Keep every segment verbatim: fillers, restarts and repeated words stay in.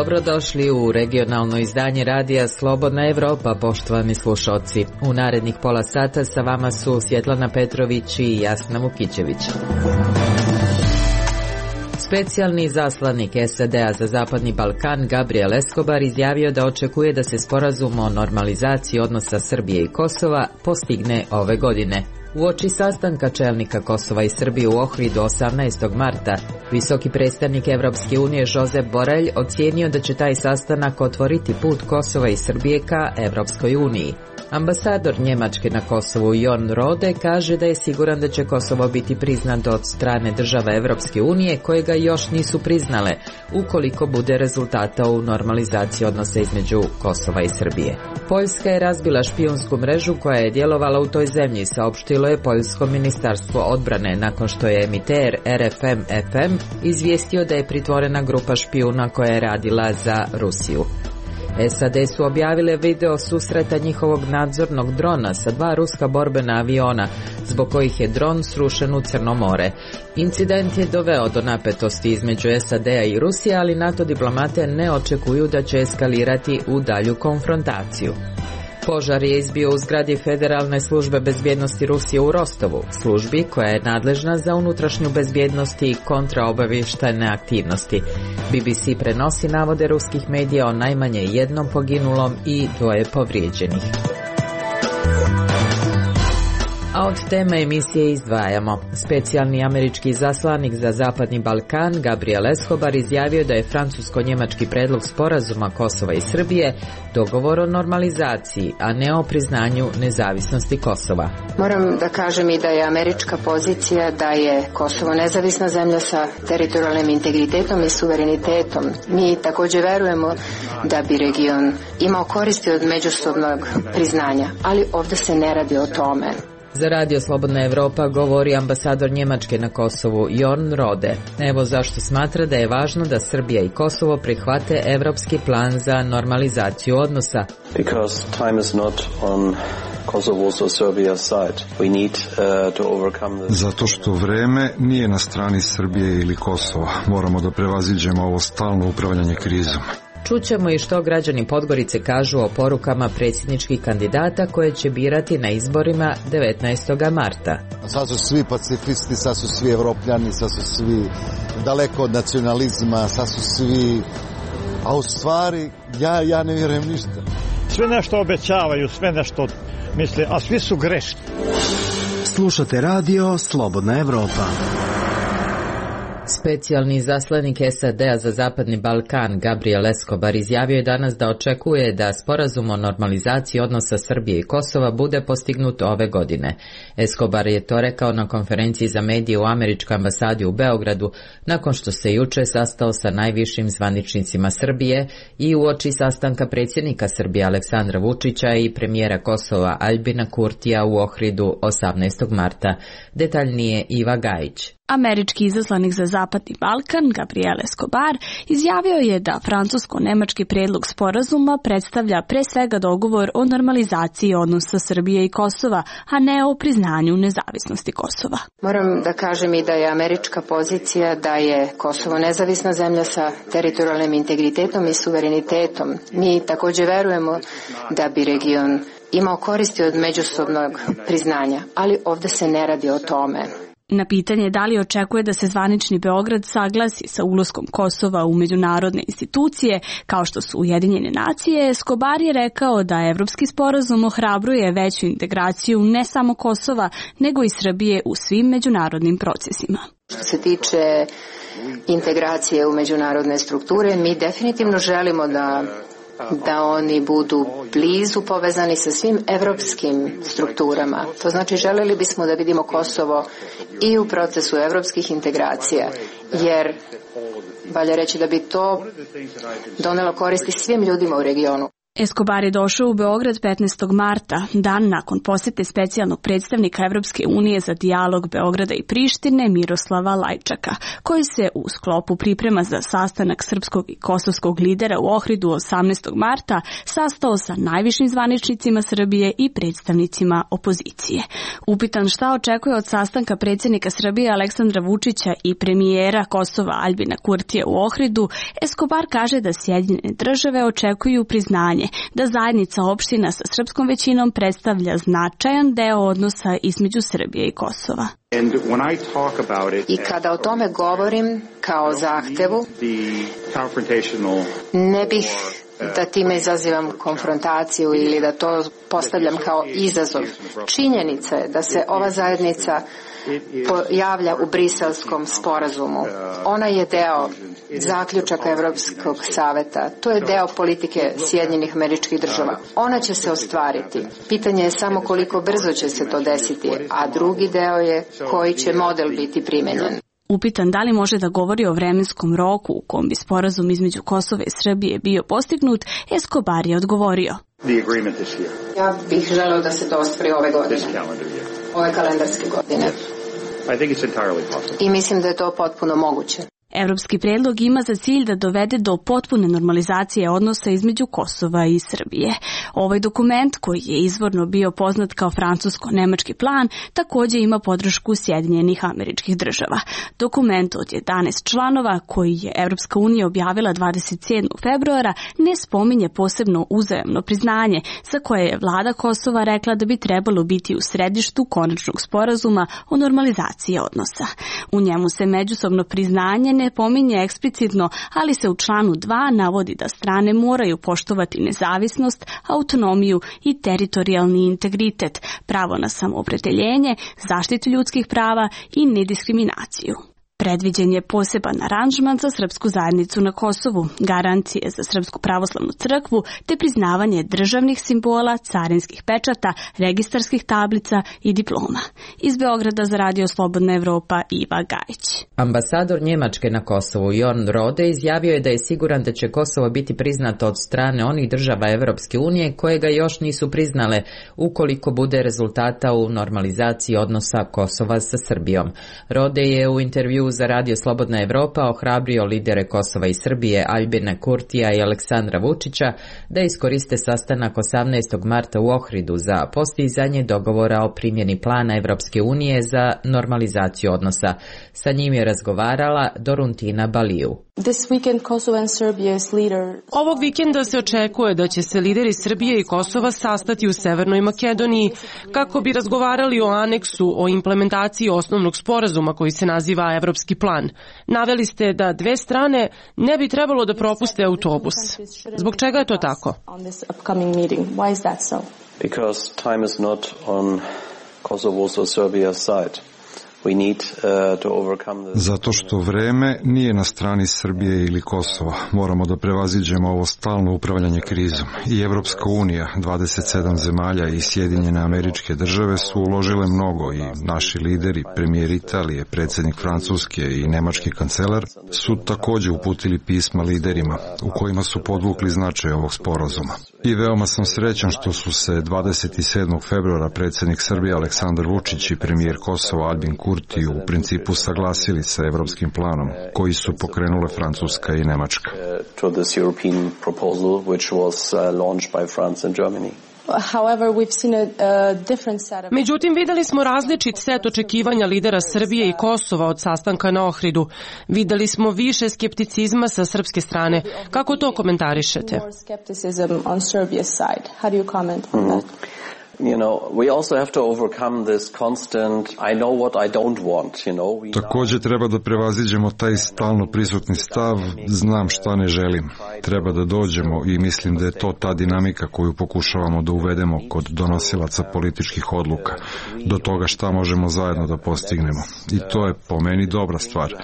Dobrodošli u regionalno izdanje radija Slobodna Evropa, poštovani slušalci. U narednih pola sata sa vama su Svjetlana Petrović i Jasna Vukićević. Specijalni zaslanik S A D-a za Zapadni Balkan Gabriel Escobar izjavio da očekuje da se sporazum o normalizaciji odnosa Srbije i Kosova postigne ove godine. Uoči sastanka čelnika Kosova i Srbije u Ohridu osamnaestog marta, visoki predstavnik Evropske unije Josep Borrell ocijenio da će taj sastanak otvoriti put Kosova i Srbije ka Evropskoj uniji. Ambasador Njemačke na Kosovu Jon Rode kaže da je siguran da će Kosovo biti priznato od strane država Evropske unije koje ga još nisu priznale, ukoliko bude rezultata u normalizaciji odnosa između Kosova i Srbije. Poljska je razbila špijunsku mrežu koja je djelovala u toj zemlji, saopštilo je Poljsko ministarstvo odbrane nakon što je emiter R F M F M izvijestio da je pritvorena grupa špijuna koja je radila za Rusiju. S A D su objavile video susreta njihovog nadzornog drona sa dva ruska borbena aviona, zbog kojih je dron srušen u Crno more. Incident je doveo do napetosti između S A D-a i Rusije, ali NATO diplomate ne očekuju da će eskalirati u dalju konfrontaciju. Požar je izbio u zgradi Federalne službe bezbjednosti Rusije u Rostovu, službi koja je nadležna za unutrašnju bezbjednost i kontraobavještajne aktivnosti. B B C prenosi navode ruskih medija o najmanje jednom poginulom i dvoje povrijeđenih. A od teme emisije izdvajamo. Specijalni američki zaslanik za Zapadni Balkan Gabriel Escobar izjavio da je francusko-njemački predlog sporazuma Kosova i Srbije dogovor o normalizaciji, a ne o priznanju nezavisnosti Kosova. Moram da kažem i da je američka pozicija da je Kosovo nezavisna zemlja sa teritorijalnim integritetom i suverenitetom. Mi također verujemo da bi region imao koristi od međusobnog priznanja, ali ovdje se ne radi o tome. Za Radio Slobodna Evropa govori ambasador Njemačke na Kosovu Jon Rode. Evo zašto smatra da je važno da Srbija i Kosovo prihvate evropski plan za normalizaciju odnosa. Because time is not on Kosovo's or Serbia's side. We need uh, to overcome this. Zato što vreme nije na strani Srbije ili Kosova. Moramo da prevaziđemo ovo stalno upravljanje krizom. Čućemo i što građani Podgorice kažu o porukama predsjedničkih kandidata koje će birati na izborima devetnaestog marta. Sad su svi pacifisti, sad su svi evropljani, sad su svi daleko od nacionalizma, sad su svi, a u stvari ja, ja ne vjerujem ništa. Sve nešto obećavaju, sve nešto misle, a svi su grešni. Slušate radio Slobodna Evropa. Specijalni zaslanik S A D-a za Zapadni Balkan Gabriel Escobar izjavio je danas da očekuje da sporazum o normalizaciji odnosa Srbije i Kosova bude postignut ove godine. Escobar je to rekao na konferenciji za medije u američkoj ambasadi u Beogradu nakon što se juče sastao sa najvišim zvaničnicima Srbije i uoči sastanka predsjednika Srbije Aleksandra Vučića i premijera Kosova Aljbina Kurtija u Ohridu osamnaestog marta. Detaljnije Iva Gajić. Američki izaslanik za Zapadni Balkan, Gabriel Escobar, izjavio je da francusko-nemački prijedlog sporazuma predstavlja pre svega dogovor o normalizaciji odnosa Srbije i Kosova, a ne o priznanju nezavisnosti Kosova. Moram da kažem i da je američka pozicija da je Kosovo nezavisna zemlja sa teritorijalnim integritetom i suverenitetom. Mi također verujemo da bi region imao koristi od međusobnog priznanja, ali ovdje se ne radi o tome. Na pitanje da li očekuje da se zvanični Beograd saglasi sa ulaskom Kosova u međunarodne institucije, kao što su Ujedinjene nacije, Escobar je rekao da evropski sporazum ohrabruje veću integraciju ne samo Kosova, nego i Srbije u svim međunarodnim procesima. Što se tiče integracije u međunarodne strukture, mi definitivno želimo da da oni budu blizu povezani sa svim evropskim strukturama. To znači željeli bismo da vidimo Kosovo i u procesu evropskih integracija, jer valja reći da bi to donelo koristi svim ljudima u regionu. Escobar je došao u Beograd petnaestog marta, dan nakon posete specijalnog predstavnika Evropske unije za dijalog Beograda i Prištine Miroslava Lajčaka, koji se u sklopu priprema za sastanak srpskog i kosovskog lidera u Ohridu osamnaestog marta sastao sa najvišim zvaničnicima Srbije i predstavnicima opozicije. Upitan šta očekuje od sastanka predsjednika Srbije Aleksandra Vučića i premijera Kosova Aljbina Kurtija u Ohridu, Escobar kaže da Sjedinjene države očekuju priznanje da zajednica opština sa srpskom većinom predstavlja značajan deo odnosa između Srbije i Kosova. I kada o tome govorim kao zahtevu, ne bih da time izazivam konfrontaciju ili da to postavljam kao izazov. Činjenica je da se ova zajednica pojavlja u Briselskom sporazumu. Ona je deo zaključaka Evropskog saveta. To je deo politike Sjedinjenih Američkih Država. Ona će se ostvariti. Pitanje je samo koliko brzo će se to desiti, a drugi deo je koji će model biti primenjen. Upitan da li može da govori o vremenskom roku u kom bi sporazum između Kosova i Srbije bio postignut, Escobar je odgovorio. Ja bih želeo da se to ostvari ove godine. Ove kalendarske godine. I mislim da je to potpuno moguće. Evropski predlog ima za cilj da dovede do potpune normalizacije odnosa između Kosova i Srbije. Ovaj dokument, koji je izvorno bio poznat kao francusko-nemački plan, također ima podršku Sjedinjenih Američkih Država. Dokument od jedanaest članova, koji je Evropska unija objavila dvadeset sedmog februara, ne spominje posebno uzajamno priznanje, za koje je vlada Kosova rekla da bi trebalo biti u središtu konačnog sporazuma o normalizaciji odnosa. U njemu se međusobno priznanje ne pominje eksplicitno, ali se u članu dva navodi da strane moraju poštovati nezavisnost, autonomiju i teritorijalni integritet, pravo na samoopredeljenje, zaštitu ljudskih prava i nediskriminaciju. Predviđen je poseban aranžman za srpsku zajednicu na Kosovu, garancije za Srpsku pravoslavnu crkvu te priznavanje državnih simbola, carinskih pečata, registarskih tablica i diploma. Iz Beograda za Radio Slobodna Evropa, Iva Gajić. Ambasador Njemačke na Kosovu Jorn Rode izjavio je da je siguran da će Kosovo biti priznato od strane onih država Evropske unije koje ga još nisu priznale ukoliko bude rezultata u normalizaciji odnosa Kosova sa Srbijom. Rode je u intervju za Radio Slobodna Evropa ohrabrio lidere Kosova i Srbije Aljbina Kurtija i Aleksandra Vučića da iskoriste sastanak osamnaestog marta u Ohridu za postizanje dogovora o primjeni plana Evropske unije za normalizaciju odnosa. Sa njim je razgovarala Doruntina Baliju. Ovog vikenda se očekuje da će se lideri Srbije i Kosova sastati u Severnoj Makedoniji kako bi razgovarali o aneksu o implementaciji osnovnog sporazuma koji se naziva Evropski plan. Naveli ste da dve strane ne bi trebalo da propuste autobus. Zbog čega je to tako? Because time is not on Kosovo's or Serbia's side. We need, uh, to overcome this. Zato što vreme nije na strani Srbije ili Kosova. Moramo da prevaziđemo ovo stalno upravljanje krizom. I Evropska unija, dvadeset sedam zemalja i Sjedinjene Američke Države su uložile mnogo i naši lideri, premijer Italije, predsjednik Francuske i nemački kancelar su također uputili pisma liderima u kojima su podvukli značaj ovog sporazuma. I veoma sam srećan što su se dvadeset sedmog februara predsjednik Srbije Aleksandar Vučić i premijer Kosova Aljbin Kurti u principu saglasili sa evropskim planom koji su pokrenule Francuska i Nemačka. Međutim, videli smo različit set očekivanja lidera Srbije i Kosova od sastanka na Ohridu. Videli smo više skepticizma sa srpske strane. Kako to komentarišete? You know, we also have to overcome this constant I know what I don't want, you know. Također treba da prevaziđemo taj stalno prisutni stav znam šta ne želim. Treba da dođemo i mislim da je to ta dinamika koju pokušavamo da uvedemo kod donosilaca političkih odluka, do toga šta možemo zajedno da postignemo. I to je po meni dobra stvar.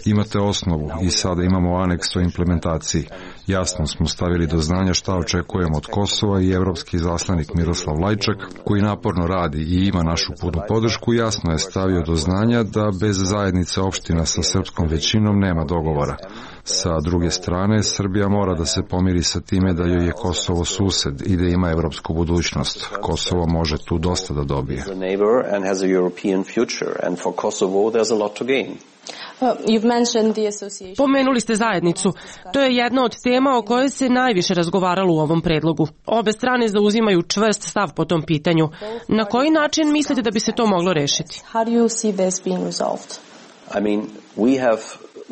Imate osnovu i sada imamo aneks o implementaciji. Jasno smo stavili do znanja šta očekujemo od Kosova i evropski zaslanik Miroslav Lajčak, koji naporno radi i ima našu punu podršku, jasno je stavio do znanja da bez zajednice opština sa srpskom većinom nema dogovora. Sa druge strane, Srbija mora da se pomiri sa time da joj je Kosovo sused i da ima evropsku budućnost. Kosovo može tu dosta da dobije. Pomenuli ste zajednicu. To je jedna od tema o kojoj se najviše razgovaralo u ovom predlogu. Obe strane zauzimaju čvrst stav po tom pitanju. Na koji način mislite da bi se to moglo rešiti? I mean, we have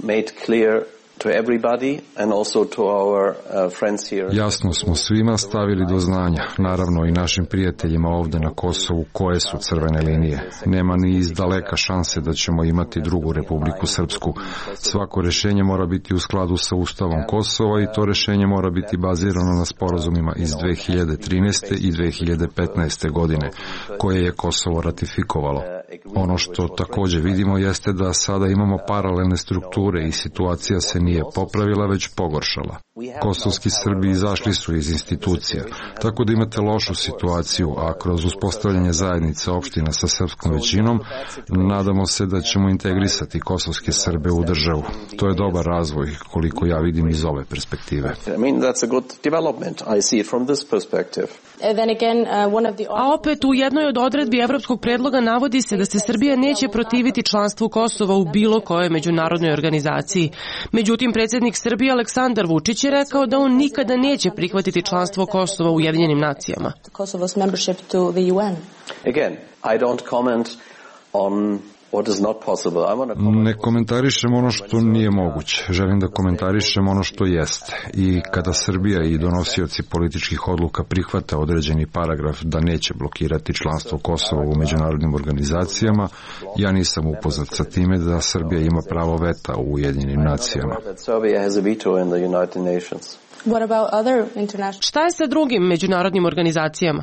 made clear to everybody and also to our uh, friends here. Jasno smo svima stavili do znanja, naravno i našim prijateljima ovde na Kosovu, koje su crvene linije. Nema ni iz daleka šanse da ćemo imati drugu Republiku Srpsku. Svako rešenje mora biti u skladu sa Ustavom Kosova i to rešenje mora biti bazirano na sporazumima iz dve hiljade trinaeste. i dve hiljade petnaeste. godine, koje je Kosovo ratifikovalo. Ono što takođe vidimo jeste da sada imamo paralelne strukture i situacija se nije popravila, već pogoršala. Kosovski Srbi izašli su iz institucija, tako da imate lošu situaciju, a kroz uspostavljanje zajednice opština sa srpskom većinom, nadamo se da ćemo integrisati kosovske Srbe u državu. To je dobar razvoj, koliko ja vidim iz ove perspektive. A opet u jednoj od odredbi evropskog predloga navodi se da se Srbija neće protiviti članstvu Kosova u bilo kojoj međunarodnoj organizaciji. Međutim, predsjednik Srbije Aleksandar Vučić je rekao da on nikada neće prihvatiti članstvo Kosova u Ujedinjenim nacijama. Again, I don't comment on Ne komentarišem ono što nije moguće. Želim da komentarišem ono što jeste. I kada Srbija i donosioci političkih odluka prihvata određeni paragraf da neće blokirati članstvo Kosova u međunarodnim organizacijama, ja nisam upoznat sa time da Srbija ima pravo veta u Ujedinjenim nacijama. Šta je sa drugim međunarodnim organizacijama?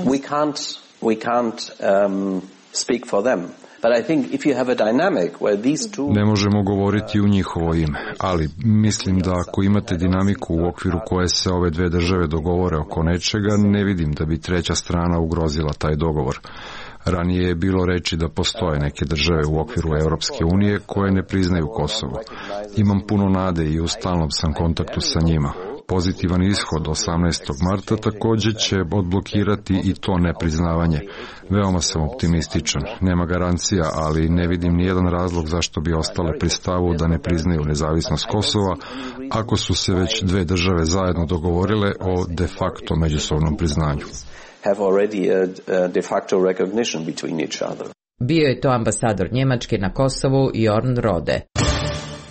We can't, we can't um, speak for them. Ne možemo govoriti u njihovo ime, ali mislim da ako imate dinamiku u okviru koje se ove dve države dogovore oko nečega, ne vidim da bi treća strana ugrozila taj dogovor. Ranije je bilo reči da postoje neke države u okviru Evropske unije koje ne priznaju Kosovo. Imam puno nade i u stalnom sam kontaktu sa njima. Pozitivan ishod osamnaestog marta takođe će odblokirati i to nepriznavanje. Veoma sam optimističan. Nema garancija, ali ne vidim nijedan razlog zašto bi ostale pri stavu da ne priznaju nezavisnost Kosova, ako su se već dve države zajedno dogovorile o de facto međusobnom priznanju. Bio je to ambasador Njemačke na Kosovu Jorn Rode.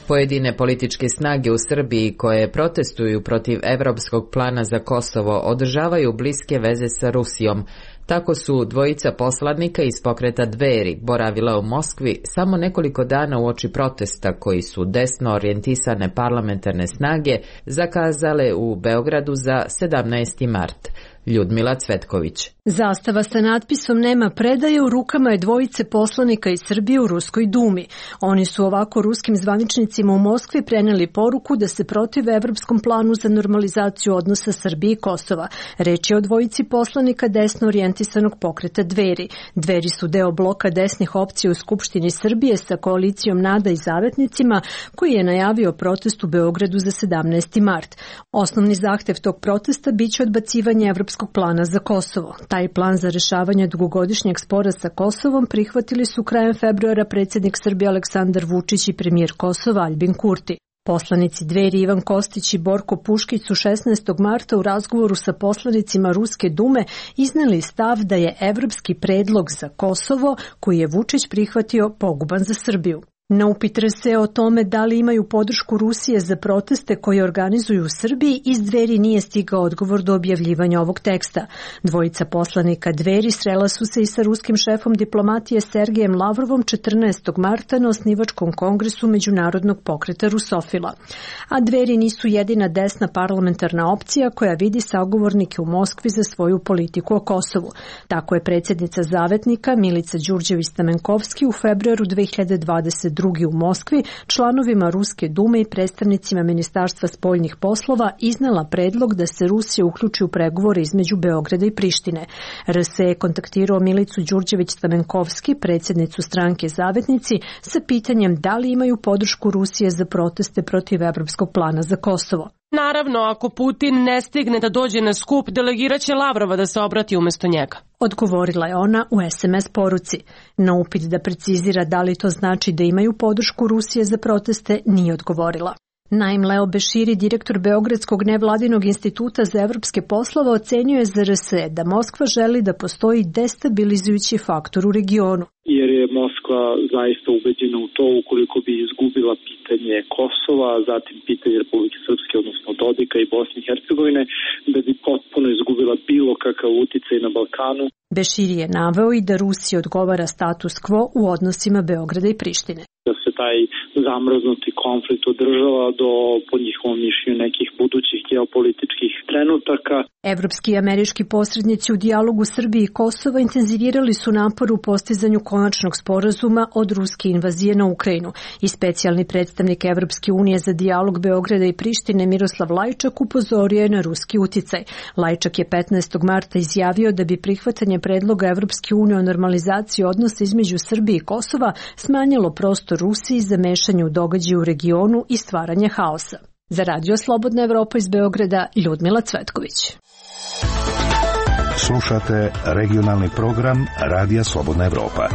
Pojedine političke snage u Srbiji koje protestuju protiv evropskog plana za Kosovo održavaju bliske veze sa Rusijom. Tako su dvojica poslanika iz pokreta Dveri boravila u Moskvi samo nekoliko dana uoči protesta koji su desno orijentisane parlamentarne snage zakazale u Beogradu za sedamnaesti mart. Ljudmila Cvetković. Zastava sa natpisom "Nema predaje" u rukama je dvojice poslanika iz Srbije u Ruskoj dumi. Oni su ovako ruskim zvaničnicima u Moskvi preneli poruku da se protive evropskom planu za normalizaciju odnosa Srbije i Kosova. Reč je o dvojici poslanika desno orijentisanog pokreta Dveri. Dveri su deo bloka desnih opcija u Skupštini Srbije sa koalicijom Nada i Zavetnicima, koji je najavio protest u Beogradu za sedamnaesti mart. Osnovni zahtev tog protesta biće odbacivanje evropskog plana za Kosovo. Taj plan za rešavanje dugogodišnjeg spora sa Kosovom prihvatili su krajem februara predsjednik Srbije Aleksandar Vučić i premijer Kosova Aljbin Kurti. Poslanici Dveri Ivan Kostić i Borko Puškić su šesnaestog marta u razgovoru sa poslanicima Ruske dume izneli stav da je evropski predlog za Kosovo, koji je Vučić prihvatio, poguban za Srbiju. Na upit R S E o tome da li imaju podršku Rusije za proteste koje organizuju u Srbiji, iz Dveri nije stigao odgovor do objavljivanja ovog teksta. Dvojica poslanika Dveri srela su se i sa ruskim šefom diplomatije Sergejem Lavrovom četrnaestog marta na osnivačkom kongresu Međunarodnog pokreta Rusofila. A Dveri nisu jedina desna parlamentarna opcija koja vidi sagovornike u Moskvi za svoju politiku o Kosovu. Tako je predsjednica Zavetnika Milica Đurđević Stamenkovski u februaru dve hiljade dvadeset drugi u Moskvi članovima Ruske dume i predstavnicima Ministarstva spoljnih poslova iznela predlog da se Rusija uključi u pregovore između Beograda i Prištine. R S je kontaktirao Milicu Đurđević-Stamenkovski, predsjednicu stranke Zavetnici, sa pitanjem da li imaju podršku Rusije za proteste protiv Evropskog plana za Kosovo. Naravno, ako Putin ne stigne da dođe na skup, delegiraće Lavrova da se obrati umjesto njega. Odgovorila je ona u es em es poruci. Na upit da precizira da li to znači da imaju podršku Rusije za proteste, nije odgovorila. Naim Leo Beširi, direktor Beogradskog nevladinog instituta za evropske poslove, ocenjuje za R S da Moskva želi da postoji destabilizujući faktor u regionu. Jer je Moskva zaista ubeđena u to ukoliko bi izgubila pitanje Kosova, zatim pitanje Republike Srpske, odnosno Dodika i Bosne i Hercegovine, da bi potpuno izgubila bilo kakav uticaj na Balkanu. Beširi je naveo i da Rusiji odgovara status quo u odnosima Beograda i Prištine. Da se taj zamrznuti konflikt održava do, po njihovom mišljenju, nekih budućih geopolitičkih trenutaka. Evropski i američki posrednici u dijalogu Srbije i Kosova intenzivirali su napor u postizanju konačnog sporazuma od ruske invazije na Ukrajinu. I specijalni predstavnik Evropske unije za dijalog Beograda i Prištine Miroslav Lajčak upozorio je na ruski uticaj. Lajčak je petnaestog marta izjavio da bi prihvatanje predloga Evropske unije o normalizaciji odnosa između Srbije i Kosova smanjilo prostor Rusiji za mešanje u događaje u regionu i stvaranje haosa. Za Radio Slobodna Evropa iz Beograda, Ljudmila Cvetković. Slušate regionalni program Radija Slobodna Evropa.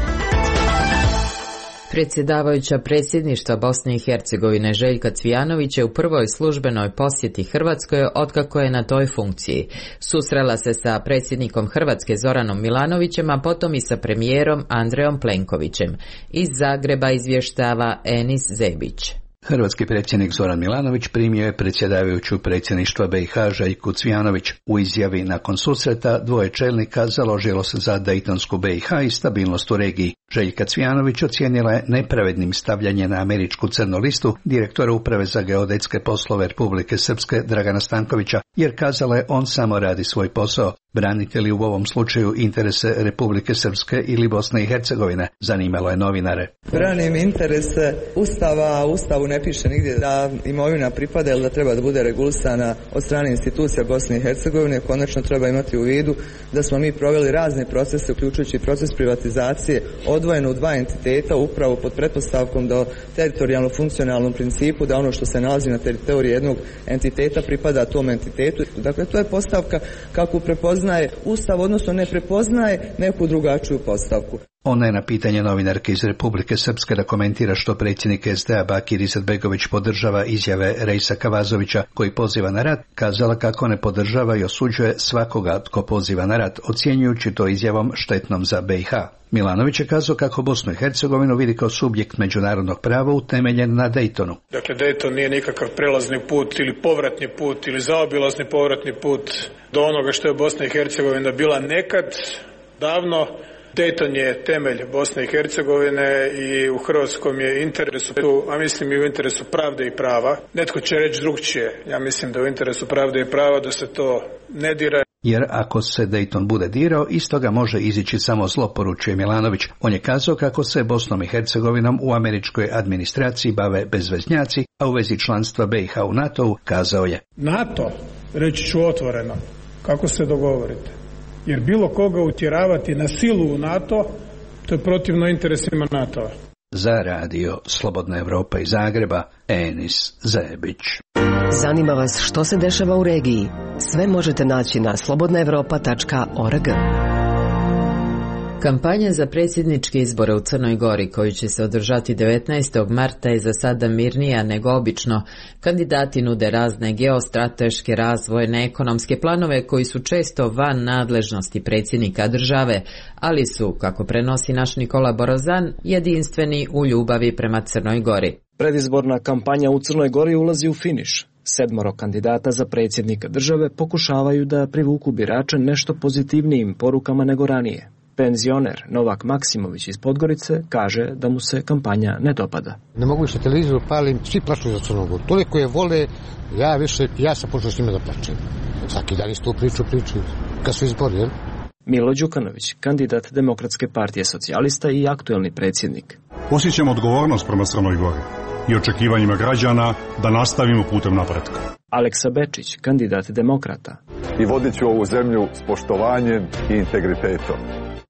Predsjedavajuća predsjedništva Bosne i Hercegovine Željka Cvijanović je u prvoj službenoj posjeti Hrvatskoj otkako je na toj funkciji. Susrela se sa predsjednikom Hrvatske Zoranom Milanovićem, a potom i sa premijerom Andrejom Plenkovićem. Iz Zagreba izvještava Enis Zebić. Hrvatski predsjednik Zoran Milanović primio je predsjedavajuću predsjedništva B i H Željku Cvijanović. U izjavi nakon susreta dvoje čelnika založilo se za Dejtonsku B i H i stabilnost u regiji. Željka Cvijanović ocijenila je nepravednim stavljanje na američku crnu listu direktora Uprave za geodetske poslove Republike Srpske Dragana Stankovića, jer kazala je on samo radi svoj posao. Branite li u ovom slučaju interese Republike Srpske ili Bosne i Hercegovine? Zanimalo je novinare. Branim interese Ustava, Ustavu ne piše nigdje da imovina pripada ili da treba da bude regulisana od strane institucija Bosne i Hercegovine. Konačno treba imati u vidu da smo mi proveli razne procese, uključujući proces privatizacije, odvojeno u dva entiteta, upravo pod pretpostavkom da teritorijalno funkcionalnom principu, da ono što se nalazi na teritoriji jednog entiteta pripada tom entitetu. Dakle, to je postavka kako prepoznaje Ustav, odnosno ne prepoznaje neku drugačiju postavku. Ona je na pitanje novinarke iz Republike Srpske da komentira što predsjednik es de a Bakir Izetbegović podržava izjave Rejsa Kavazovića koji poziva na rat, kazala kako ne podržava i osuđuje svakoga tko poziva na rat, ocjenjujući to izjavom štetnom za B i H. Milanović je kazao kako Bosnu i Hercegovinu vidi kao subjekt međunarodnog prava utemeljen na Dejtonu. Dakle, Dejton nije nikakav prelazni put ili povratni put ili zaobilazni povratni put do onoga što je Bosna i Hercegovina bila nekad, davno. Dejton je temelj Bosne i Hercegovine i u hrvatskom je interesu, a mislim i u interesu pravde i prava. Netko će reći drugčije. Ja mislim da je u interesu pravde i prava da se to ne dira. Jer ako se Dejton bude dirao, iz toga može izići samo zlo, poručuje Milanović. On je kazao kako se Bosnom i Hercegovinom u američkoj administraciji bave bezveznjaci, a u vezi članstva B i H u NATO-u kazao je: NATO, reći ću otvoreno, kako se dogovorite. Jer bilo koga utjeravati na silu u NATO, to je protivno interesima NATO-a. Za Radio Slobodna Evropa iz Zagreba, Enis Zebić. Zanima vas što se dešava u regiji? Sve možete naći na slobodna evropa tačka org. Kampanja za predsjedničke izbore u Crnoj Gori, koji će se održati devetnaestog marta, je za sada mirnija nego obično. Kandidati nude razne geostrateške, razvojne, ekonomske planove koji su često van nadležnosti predsjednika države, ali su, kako prenosi naš Nikola Borozan, jedinstveni u ljubavi prema Crnoj Gori. Predizborna kampanja u Crnoj Gori ulazi u finiš. Sedmoro kandidata za predsjednika države pokušavaju da privuku birače nešto pozitivnijim porukama nego ranije. Penzioner Novak Maksimović iz Podgorice kaže da mu se kampanja ne dopada. Ne mogu više televiziju palim, svi plaću za Crnu Goru. Toliko je vole, ja više, ja sam počeo s njima da plaćem. Svaki dan istu priču priču, kad su izbori, jel? Milo Đukanović, kandidat Demokratske partije socijalista i aktuelni predsjednik. Osjećam odgovornost prema Crnoj Gori i očekivanjima građana da nastavimo putem napretka. Aleksa Bečić, kandidat demokrata. I vodit ću ovu zemlju s poštovanjem i integritetom.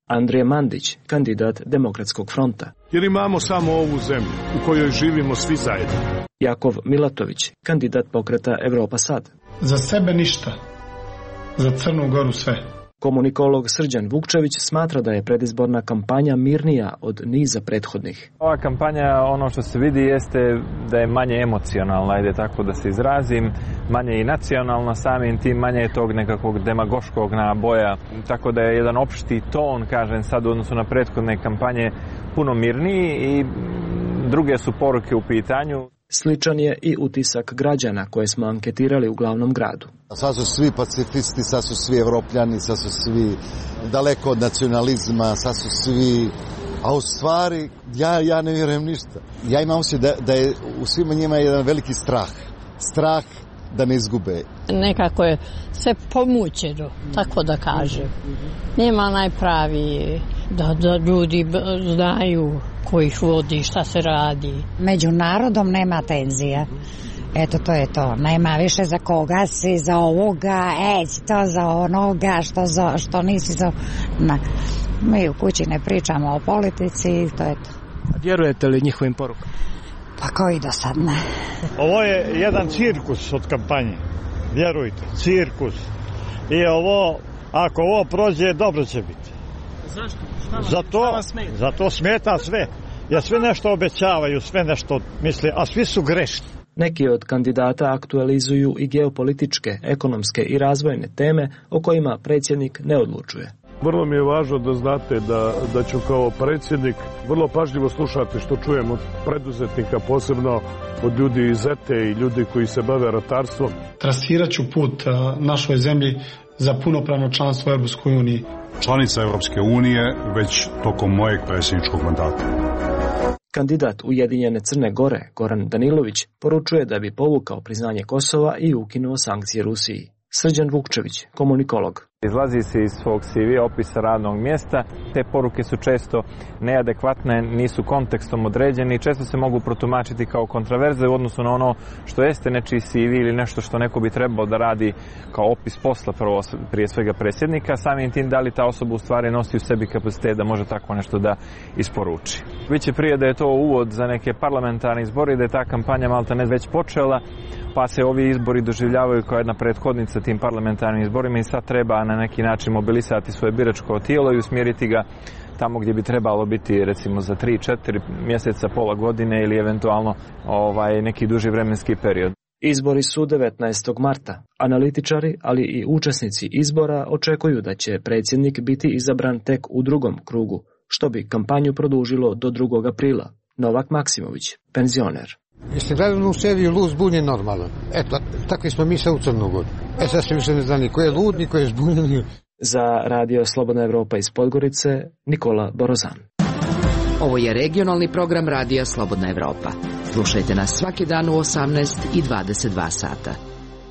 Andrija Mandić, kandidat Demokratskog fronta. Jer imamo samo ovu zemlju u kojoj živimo svi zajedno. Jakov Milatović, kandidat pokreta Evropa sad. Za sebe ništa, za Crnu Goru sve. Komunikolog Srđan Vukčević smatra da je predizborna kampanja mirnija od niza prethodnih. Ova kampanja, ono što se vidi, jeste da je manje emocionalna, ajde tako da se izrazim, manje i nacionalna, samim tim manje je tog nekakvog demagoškog naboja, tako da je jedan opšti ton, kažem sad, u odnosu na prethodne kampanje puno mirniji i druge su poruke u pitanju. Sličan je i utisak građana koje smo anketirali u glavnom gradu. Sad su svi pacifisti, sad su svi evropljani, sad su svi daleko od nacionalizma, sad su svi... A u stvari, ja, ja ne vjerujem ništa. Ja imam osjećaj da, da je u svima njima jedan veliki strah. Strah da ne izgube. Nekako je sve pomućeno, tako da kažem. Nema najpravi da, da ljudi znaju ko ih vodi, šta se radi. Među narodom nema tenzija. Eto, to je to. Nema više za koga si, za ovoga, ej, to za onoga, što, za, što nisi za... Na. Mi u kući ne pričamo o politici i to je to. Vjerujete li njihovim porukama? Pa koji do sad ne. Ovo je jedan cirkus od kampanje. Vjerujte, cirkus. I ovo, ako ovo prođe, dobro će biti. Zašto? Šta vam, zato, šta vam smeta? Zato smeta sve. Jer sve nešto obećavaju, sve nešto misle, a svi su grešni. Neki od kandidata aktualizuju i geopolitičke, ekonomske i razvojne teme o kojima predsjednik ne odlučuje. Vrlo mi je važno da znate da, da ću kao predsjednik vrlo pažljivo slušati što čujem od preduzetnika, posebno od ljudi iz E T E i ljudi koji se bave ratarstvom. Trasirat ću put našoj zemlji za punopravno članstvo u Europskoj uniji. Članica Europske unije već tokom mojeg predsjedničkog mandata. Kandidat Ujedinjene Crne Gore, Goran Danilović, poručuje da bi povukao priznanje Kosova i ukinuo sankcije Rusiji. Srđan Vukčević, komunikolog. Izlazi se iz svog C V opisa radnog mjesta, te poruke su često neadekvatne, nisu kontekstom određene i često se mogu protumačiti kao kontraverze u odnosu na ono što jeste nečiji C V ili nešto što neko bi trebao da radi kao opis posla prvo, prije svega predsjednika, samim tim da li ta osoba u stvari nosi u sebi kapacitet da može tako nešto da isporuči. Biće prije da je to uvod za neke parlamentarne izbore i da je ta kampanja malta ne već počela, pa se ovi izbori doživljavaju kao jedna prethodnica tim parlamentarnim izborima i sad treba na neki način mobilisati svoje biračko tijelo i usmjeriti ga tamo gdje bi trebalo biti recimo za tri četiri mjeseca, pola godine ili eventualno ovaj, neki duži vremenski period. Izbori su devetnaestog marta. Analitičari, ali i učesnici izbora očekuju da će predsjednik biti izabran tek u drugom krugu, što bi kampanju produžilo do drugog aprila. Novak Maksimović, penzioner. Jeste gledali u seriju Lud, zbunjen, normalan. Eto, takvi smo mi sa u Crnu Goru. E sad se više ne zna ni ko je lud, ni ko je zbunjen. Za Radio Slobodna Evropa iz Podgorice, Nikola Borozan. Ovo je regionalni program Radija Slobodna Evropa. Slušajte nas svaki dan u osamnaest i dvadeset dva sata.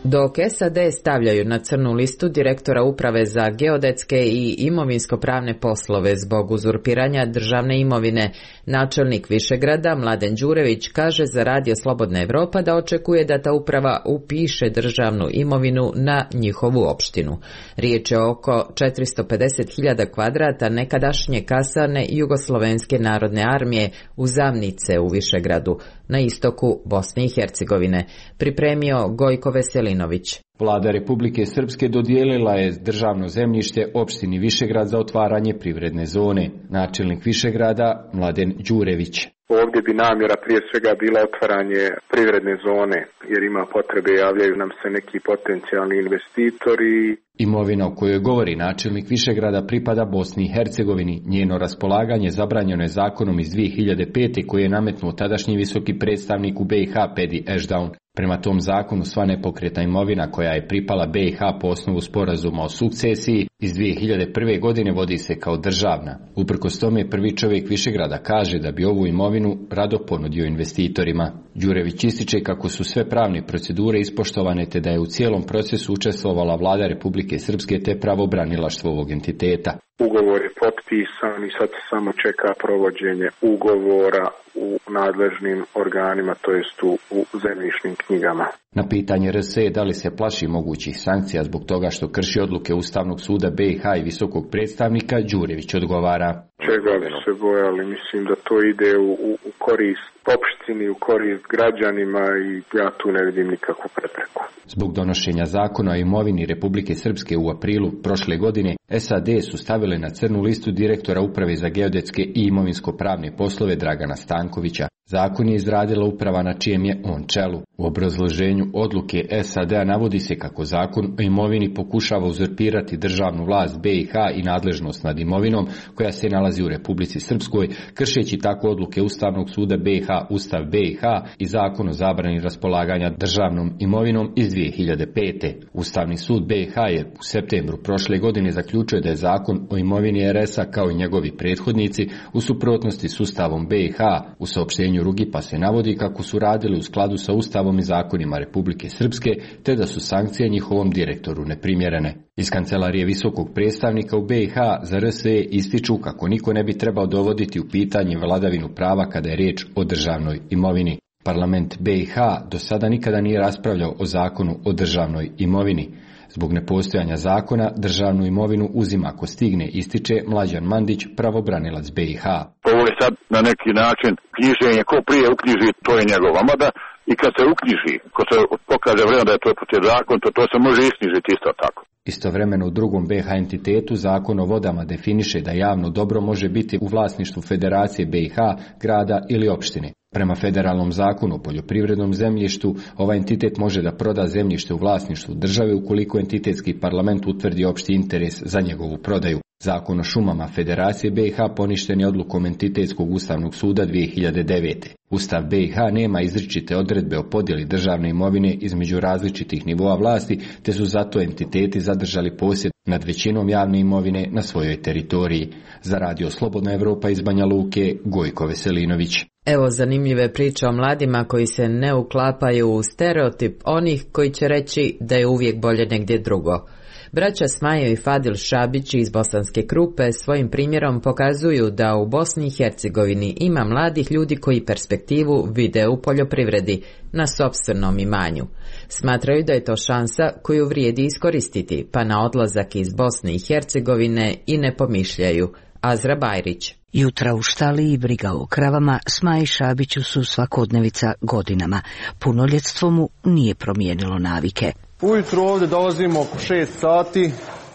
Dok S A D stavljaju na crnu listu direktora Uprave za geodetske i imovinsko-pravne poslove zbog uzurpiranja državne imovine, načelnik Višegrada Mladen Đurević kaže za Radio Slobodna Evropa da očekuje da ta uprava upiše državnu imovinu na njihovu opštinu. Riječ je oko četiristo pedeset hiljada kvadrata nekadašnje kasarne Jugoslovenske narodne armije u Zamnice u Višegradu, na istoku Bosne i Hercegovine, pripremio Gojko Veselinović. Vlada Republike Srpske dodijelila je državno zemljište opštini Višegrad za otvaranje privredne zone. Načelnik Višegrada Mladen Đurević. Ovdje bi namjera prije svega bila otvaranje privredne zone, jer ima potrebe, javljaju nam se neki potencijalni investitori. Imovina o kojoj govori načelnik Višegrada pripada Bosni i Hercegovini. Njeno raspolaganje zabranjeno je zakonom iz dvije hiljade pete koji je nametnuo tadašnji visoki predstavnik u B i H Pedi Ešdaun. Prema tom zakonu sva nepokretna imovina koja je pripala B i H po osnovu sporazuma o sukcesiji iz dvije hiljade prve. godine vodi se kao državna. Uprkos tome prvi čovjek Višegrada kaže da bi ovu imovinu rado ponudio investitorima. Đurević ističe kako su sve pravne procedure ispoštovane te da je u cijelom procesu učestvovala vlada Republike Srpske te pravobranilaštvo ovog entiteta. ugovor je potpisan i sad se samo čeka provođenje ugovora u nadležnim organima, to jest u, u zemljišnim knjigama. Na pitanje R S da li se plaši mogućih sankcija zbog toga što krši odluke Ustavnog suda B i H i visokog predstavnika, Đurević odgovara. Čega bi se bojali? Mislim da to ide u, u, u korist opštini, u korist građanima i ja tu ne vidim nikakvu prepreku. Zbog donošenja zakona o imovini Republike Srpske u aprilu prošle godine, S A D su stavile na crnu listu direktora Uprave za geodetske i imovinsko-pravne poslove Dragana Stankovića. Zakon je izradila uprava na čijem je on čelu. U obrazloženju odluke S A D-a navodi se kako zakon o imovini pokušava uzurpirati državnu vlast B i H i nadležnost nad imovinom koja se nalazi u Republici Srpskoj, kršeći tako odluke Ustavnog suda B i H, Ustav B i H i Zakon o zabrani raspolaganja državnom imovinom iz dvije hiljade pete. Ustavni sud B i H je u septembru prošle godine zaključio da je zakon o imovini R S-a kao i njegovi prethodnici u suprotnosti s Ustavom B i H. U saopštenju Rugipa se navodi kako su radili u skladu sa Ustavom i zakonima Republike Srpske, te da su sankcije njihovom direktoru neprimjerene. Iz kancelarije visokog predstavnika u B i H za R S E ističu kako niko ne bi trebao dovoditi u pitanje vladavinu prava kada je riječ o državnoj imovini. Parlament B i H do sada nikada nije raspravljao o zakonu o državnoj imovini. Zbog nepostojanja zakona, državnu imovinu uzima ako stigne, ističe Mlađan Mandić, pravobranilac B i H. Ovo je sad na neki način knjiženje, ko prije uknjiži, to je njegova. Mada i kad se uknjiži, ko se pokaže vremena da je to protiv zakon, to, to se može isknjižiti isto tako. Istovremeno u drugom B i H entitetu Zakon o vodama definiše da javno dobro može biti u vlasništvu Federacije B i H, grada ili opštine. Prema federalnom zakonu o poljoprivrednom zemljištu, ovaj entitet može da proda zemljište u vlasništvu države ukoliko entitetski parlament utvrdi opšti interes za njegovu prodaju. Zakon o šumama Federacije B i H poništen je odlukom Entitetskog ustavnog suda dvije hiljade devete. Ustav B i H nema izričite odredbe o podjeli državne imovine između različitih nivoa vlasti, te su zato entiteti zadržali posjed nad većinom javne imovine na svojoj teritoriji. Za Radio Slobodna Evropa iz Banja Luke, Gojko Veselinović. Evo zanimljive priče o mladima koji se ne uklapaju u stereotip onih koji će reći da je uvijek bolje negdje drugo. Braća Smajo i Fadil Šabić iz Bosanske Krupe svojim primjerom pokazuju da u Bosni i Hercegovini ima mladih ljudi koji perspektivu vide u poljoprivredi na sopstvenom imanju. Smatraju da je to šansa koju vrijedi iskoristiti, pa na odlazak iz Bosne i Hercegovine i ne pomišljaju. Azra Bajrić. Jutra u štali i briga o kravama Smaji Šabiću su svakodnevica godinama. Punoljetstvo mu nije promijenilo navike. Ujutro ovdje dolazimo oko šest sati,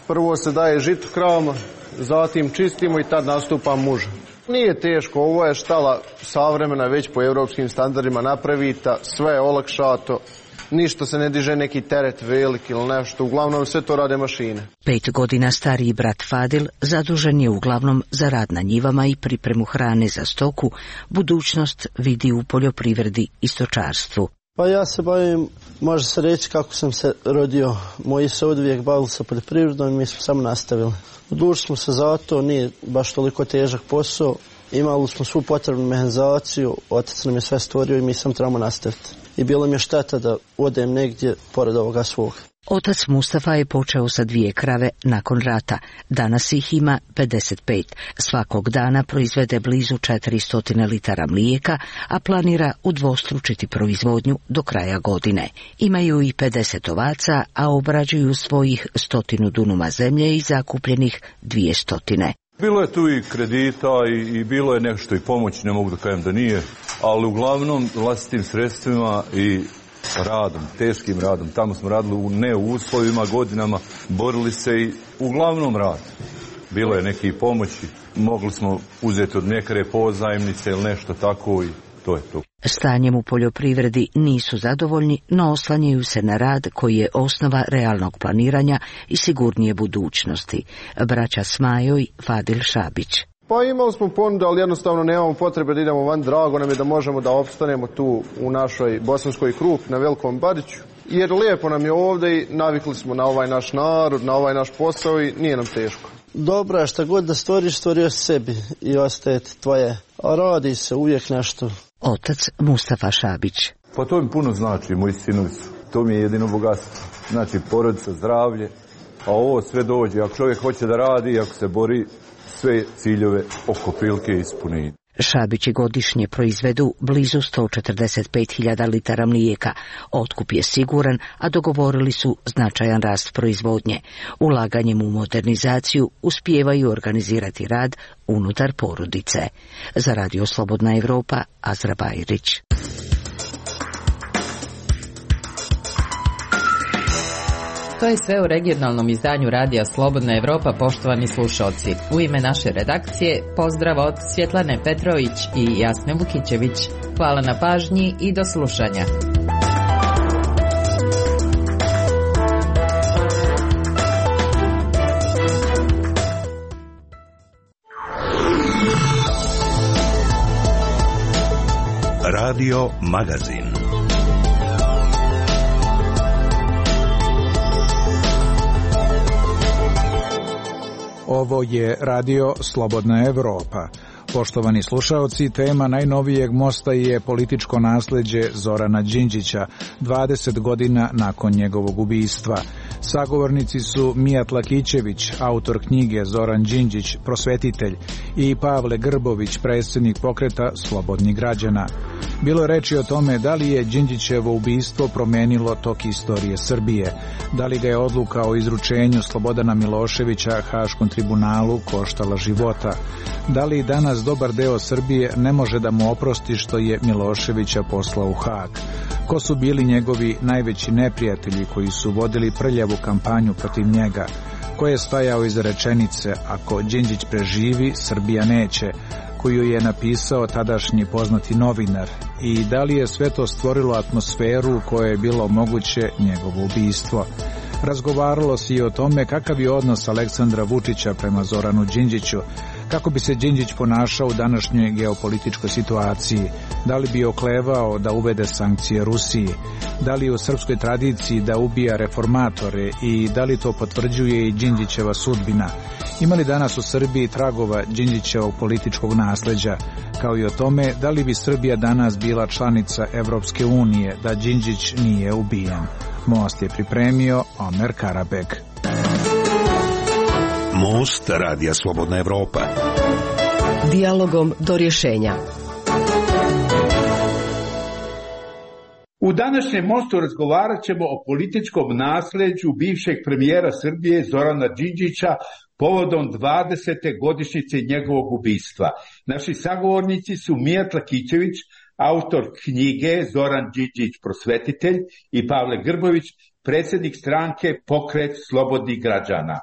prvo se daje žito kravama, zatim čistimo i tad nastupa muža. Nije teško, ovo je štala savremena, već po europskim standardima napravita, sve je olakšato, ništa se ne diže neki teret velik ili nešto, uglavnom sve to rade mašine. Pet godina stariji brat Fadil zadužen je uglavnom za rad na njivama i pripremu hrane za stoku, budućnost vidi u poljoprivredi i stočarstvu. Pa ja se bavim, može se reći kako sam se rodio. Moji se odvijek bavili sa poljoprivredom i mi smo samo nastavili. Odlučili smo se za to, nije baš toliko težak posao. Imali smo svu potrebnu mehanizaciju, otac nam je sve stvorio i mi sam trebamo nastaviti. I bilo mi je šteta da odem negdje pored ovoga svog. Otac Mustafa je počeo sa dvije krave nakon rata. Danas ih ima pedeset pet. Svakog dana proizvede blizu četiristo litara mlijeka, a planira udvostručiti proizvodnju do kraja godine. Imaju i pedeset ovaca, a obrađuju svojih stotinu dunuma zemlje i zakupljenih dvije stotine. Bilo je tu i kredita i, i bilo je nešto i pomoći, ne mogu da kažem da nije, ali uglavnom vlastitim sredstvima i radom, teškim radom. Tamo smo radili u ne u uslovima, godinama, borili se i uglavnom rad. Bilo je neki pomoći, mogli smo uzeti od mljekare pozajmnice ili nešto tako i to je to. Stanjem u poljoprivredi nisu zadovoljni, no oslanjaju se na rad koji je osnova realnog planiranja i sigurnije budućnosti. Braća Smajo i Fadil Šabić. Pa imali smo ponudu, ali jednostavno nemamo potrebe da idemo van. Drago nam je da možemo da opstanemo tu u našoj Bosanskoj Krupi na Velikom Bariću. Jer lijepo nam je ovdje i navikli smo na ovaj naš narod, na ovaj naš posao i nije nam teško. Dobro je, šta god da stvoriš, stvorio sebi i ostaje tvoje. A radi se uvijek nešto. Otac Mustafa Šabić. Pa to mi puno znači, moji sinovi su. To mi je jedino bogatstvo. Znači porodica, zdravlje a ovo sve dođe. Ako čovjek hoće da radi, ako se bori, sve ciljeve oko prilike ispuni. Šabići godišnje proizvedu blizu sto četrdeset pet hiljada litara mlijeka. Otkup je siguran, a dogovorili su značajan rast proizvodnje. Ulaganjem u modernizaciju uspijevaju organizirati rad unutar porodice. Za Radio Slobodna Evropa, Azra Bajrić. To je sve u regionalnom izdanju Radija Slobodna Evropa, poštovani slušalci. U ime naše redakcije, pozdrav od Svjetlane Petrović i Jasne Vukićević. Hvala na pažnji i do slušanja. Radio Magazin. Ovo je Radio Slobodna Evropa. Poštovani slušaoci, tema najnovijeg mosta je političko nasleđe Zorana Đinđića, dvadeset godina nakon njegovog ubistva. Sagovornici su Mijat Lakićević, autor knjige Zoran Đinđić, prosvetitelj, i Pavle Grbović, predsjednik pokreta Slobodnih građana. Bilo je reči o tome da li je Đinđićevo ubistvo promenilo tok istorije Srbije, da li ga je odluka o izručenju Slobodana Miloševića Haškom tribunalu koštala života, da li danas dobar deo Srbije ne može da mu oprosti što je Miloševića poslao u Hag. Ko su bili njegovi najveći neprijatelji koji su vodili prljavu kampanju protiv njega? Ko je stajao iza rečenice "Ako Đinđić preživi, Srbija neće", koju je napisao tadašnji poznati novinar, i da li je sve to stvorilo atmosferu u kojoj je bilo moguće njegovo ubistvo? Razgovaralo se i o tome kakav je odnos Aleksandra Vučića prema Zoranu Đinđiću, kako bi se Đinđić ponašao u današnjoj geopolitičkoj situaciji, da li bi oklevao da uvede sankcije Rusiji, da li je u srpskoj tradiciji da ubija reformatore i da li to potvrđuje i Đinđićeva sudbina. Ima li danas u Srbiji tragova Đinđićevog političkog nasleđa, kao i o tome da li bi Srbija danas bila članica Evropske unije da Đinđić nije ubijen. Most je pripremio Omer Karabeg. Most Radija Slobodna Evropa. Dijalogom do rješenja. U današnjem mostu razgovarat ćemo o političkom nasleđu bivšeg premijera Srbije Zorana Đinđića povodom dvadesete godišnjice njegovog ubistva. Naši sagovornici su Mijat Lakićević, autor knjige Zoran Đinđić, prosvetitelj, i Pavle Grbović, predsjednik stranke Pokret Slobodnih građana.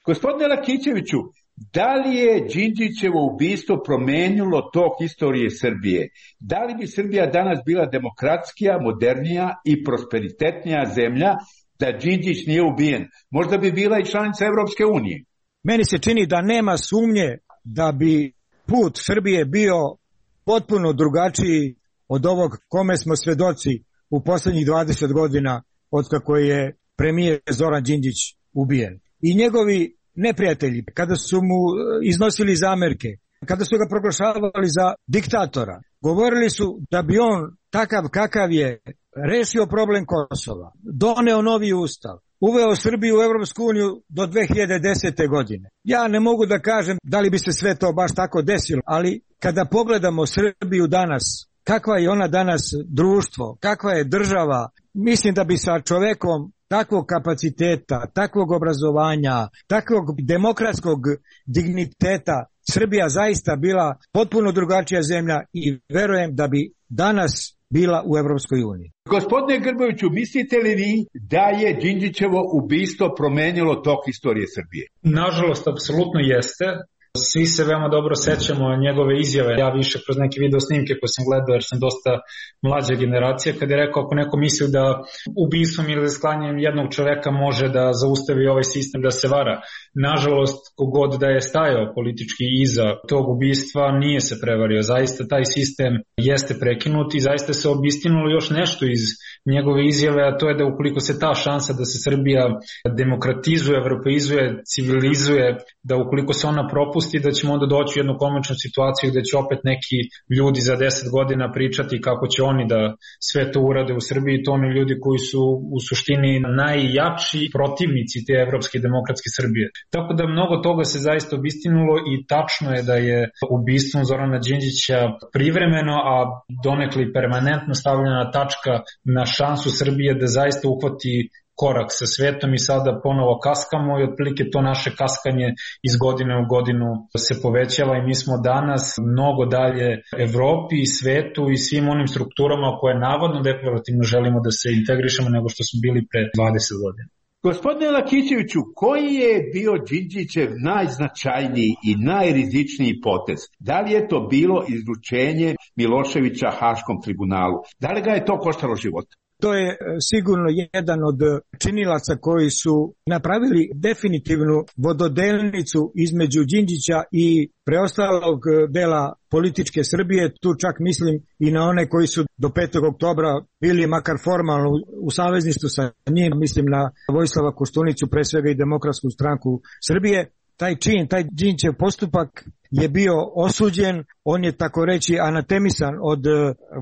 Gospodine Lakićeviću, da li je Đinđićevo ubistvo promenilo tok istorije Srbije? Da li bi Srbija danas bila demokratskija, modernija i prosperitetnija zemlja da Đinđić nije ubijen? Možda bi bila i članica Evropske unije. Meni se čini da nema sumnje da bi put Srbije bio potpuno drugačiji od ovog kome smo svedoci u posljednjih dvadeset godina od kako je premijer Zoran Đinđić ubijen. I njegovi neprijatelji, kada su mu iznosili zamerke, kada su ga proglašavali za diktatora, govorili su da bi on, takav kakav je, rešio problem Kosova, doneo novi ustav, uveo Srbiju u Evropsku uniju do dve hiljade desete. godine. Ja ne mogu da kažem da li bi se sve to baš tako desilo, ali kada pogledamo Srbiju danas, kakva je ona danas društvo, kakva je država, mislim da bi sa čovekom takvog kapaciteta, takvog obrazovanja, takvog demokratskog digniteta Srbija zaista bila potpuno drugačija zemlja i verujem da bi danas bila u Evropskoj uniji. Gospodine Grboviću, mislite li vi da je Đinđićevo ubistvo promenilo tok istorije Srbije? Nažalost, apsolutno jeste. Svi se veoma dobro sećamo njegove izjave. Ja više kroz neke video snimke koje sam gledao, jer sam dosta mlađa generacija, kada je rekao ako neko misli da ubistvom ili sklanjanjem jednog čoveka može da zaustavi ovaj sistem da se vara. Nažalost, kogod da je stajao politički iza tog ubistva nije se prevario. Zaista taj sistem jeste prekinut i zaista se obistinulo još nešto iz njegove izjave, a to je da ukoliko se ta šansa da se Srbija demokratizuje, evropeizuje, civilizuje, da ukoliko se ona propusti, popusti, da ćemo onda doći u jednu komičnu situaciju gde će opet neki ljudi za deset godina pričati kako će oni da sve to urade u Srbiji, to oni ljudi koji su u suštini najjači protivnici te evropske demokratske Srbije. Tako da mnogo toga se zaista obistinulo i tačno je da je ubistvom Zorana Đinđića privremeno, a donekli permanentno stavljena tačka na šansu Srbije da zaista uhvati korak sa svetom i sada ponovo kaskamo i otprilike to naše kaskanje iz godine u godinu se povećava i mi smo danas mnogo dalje Evropi i svetu i svim onim strukturama koje navodno deklarativno želimo da se integrišemo nego što smo bili pre dvadeset godina. Gospodine Lakićeviću, koji je bio Đinđićev najznačajniji i najrizičniji potez? Da li je to bilo izručenje Miloševića Haškom tribunalu? Da li ga je to koštalo života? To je sigurno jedan od činilaca koji su napravili definitivnu vododelnicu između Đinđića i preostalog dela političke Srbije. Tu čak mislim i na one koji su do petog oktobra bili makar formalno u savezništvu sa njim, mislim na Vojislava Koštunicu, pre svega i Demokratsku stranku Srbije. Taj čin, taj Đinđićev postupak je bio osuđen, on je tako reći anatemisan od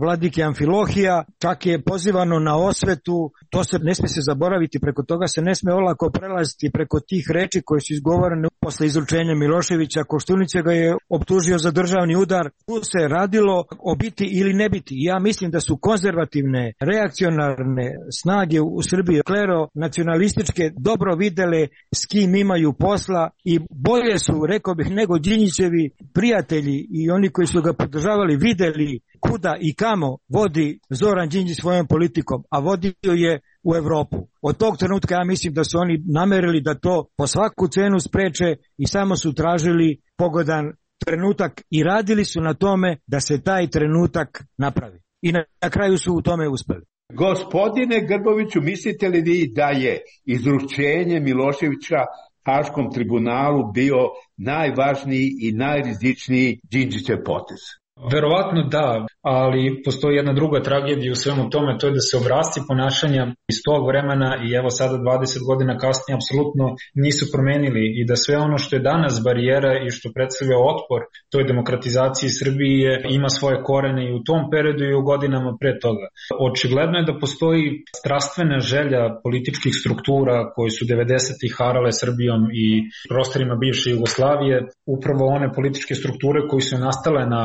vladike Amfilohija, čak je pozivano na osvetu, to se ne sme se zaboraviti, preko toga se ne sme olako prelaziti preko tih reči koje su izgovorene posle izručenja Miloševića. Koštunice ga je optužio za državni udar. Tu se radilo o biti ili ne biti. Ja mislim da su konzervativne, reakcionarne snage u Srbiji, klero nacionalističke, dobro videle s kim imaju posla i bolje su, rekao bih, nego Đinđićevi prijatelji i oni koji su ga podržavali videli kuda i kamo vodi Zoran Đinđić svojom politikom, a vodio je u Evropu. Od tog trenutka ja mislim da su oni namerili da to po svaku cenu spreče i samo su tražili pogodan trenutak i radili su na tome da se taj trenutak napravi. I na, na kraju su u tome uspeli. Gospodine Grboviću, mislite li vi da je izručenje Miloševića Haškom tribunalu bio najvažniji i najrizičniji Đinđićev potez? Verovatno da, ali postoji jedna druga tragedija u svemu tome, to je da se obrasci ponašanja iz tog vremena i evo sada dvadeset godina kasnije apsolutno nisu promenili i da sve ono što je danas barijera i što predstavlja otpor toj demokratizaciji Srbije ima svoje korene i u tom periodu i u godinama pre toga. Očigledno je da postoji strastvena želja političkih struktura koji su devedesetih harale Srbijom i prostorima bivše Jugoslavije, upravo one političke strukture koji su nastale na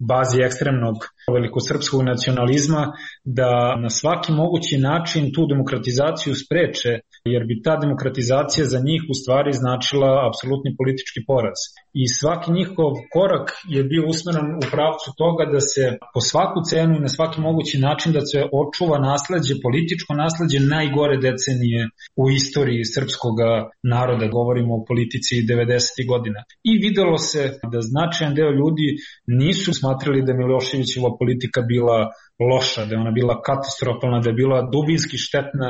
bazi ekstremnog velikosrpskog nacionalizma, da na svaki mogući način tu demokratizaciju spreče, jer bi ta demokratizacija za njih u stvari značila apsolutni politički poraz. I svaki njihov korak je bio usmeren u pravcu toga da se po svaku cenu i na svaki mogući način da se očuva nasleđe, političko nasleđe najgore decenije u istoriji srpskog naroda, govorimo o politici devedesetih godina. I videlo se da značajan deo ljudi nisu smatrali da Miloševićeva politika bila loša, da je ona bila katastrofalna, da je bila dubinski štetna,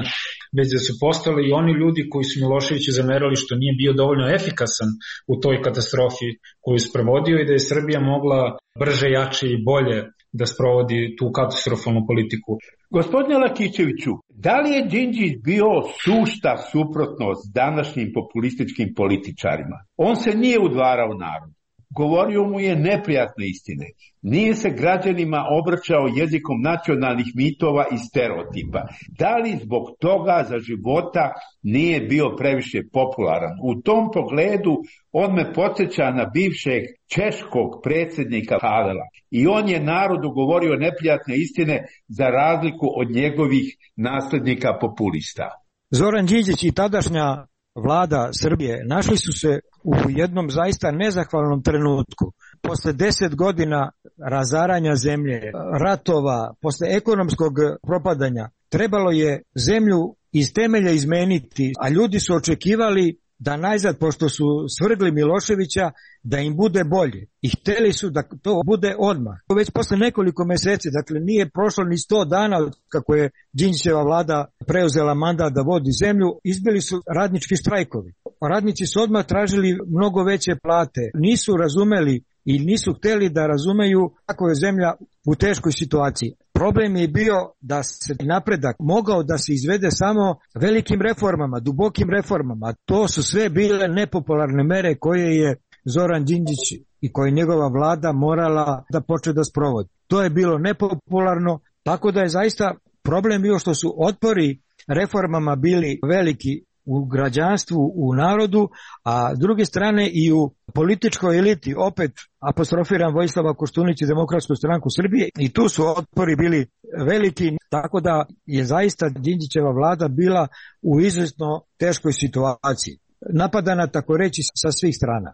već da su postali i oni ljudi koji su Miloševiću zamerali što nije bio dovoljno efikasan u toj katastrofi koju je sprovodio i da je Srbija mogla brže, jače i bolje da sprovodi tu katastrofalnu politiku. Gospodine Lakićeviću, da li je Đinđić bio sušta suprotnost današnjim populističkim političarima? On se nije udvarao narodu. Govorio mu je neprijatne istine. Nije se građanima obraćao jezikom nacionalnih mitova i stereotipa. Da li zbog toga za života nije bio previše popularan? U tom pogledu on me podsjeća na bivšeg češkog predsjednika Havela. I on je narodu govorio neprijatne istine za razliku od njegovih naslednika populista. Zoran Đinđić i tadašnja vlada Srbije našli su se u jednom zaista nezahvalnom trenutku. Posle deset godina razaranja zemlje, ratova, posle ekonomskog propadanja, trebalo je zemlju iz temelja izmeniti, a ljudi su očekivali da najzad, pošto su svrgli Miloševića, da im bude bolje. I hteli su da to bude odmah. Već posle nekoliko meseci, dakle nije prošlo ni sto dana kako je Đinđićeva vlada preuzela mandat da vodi zemlju, izbili su radnički štrajkovi. Radnici su odmah tražili mnogo veće plate. Nisu razumeli i nisu hteli da razumeju kako je zemlja u teškoj situaciji. Problem je bio da se napredak mogao da se izvede samo velikim reformama, dubokim reformama. To su sve bile nepopularne mere koje je Zoran Đinđić i koje je njegova vlada morala da počne da sprovodi. To je bilo nepopularno, tako da je zaista problem bio što su otpori reformama bili veliki u građanstvu, u narodu, a s druge strane i u političkoj eliti, opet apostrofiram Vojislava Koštunića i Demokratsku stranku Srbije, i tu su otpori bili veliki, tako da je zaista Đinđićeva vlada bila u izuzetno teškoj situaciji. Napadana, tako reći, sa svih strana.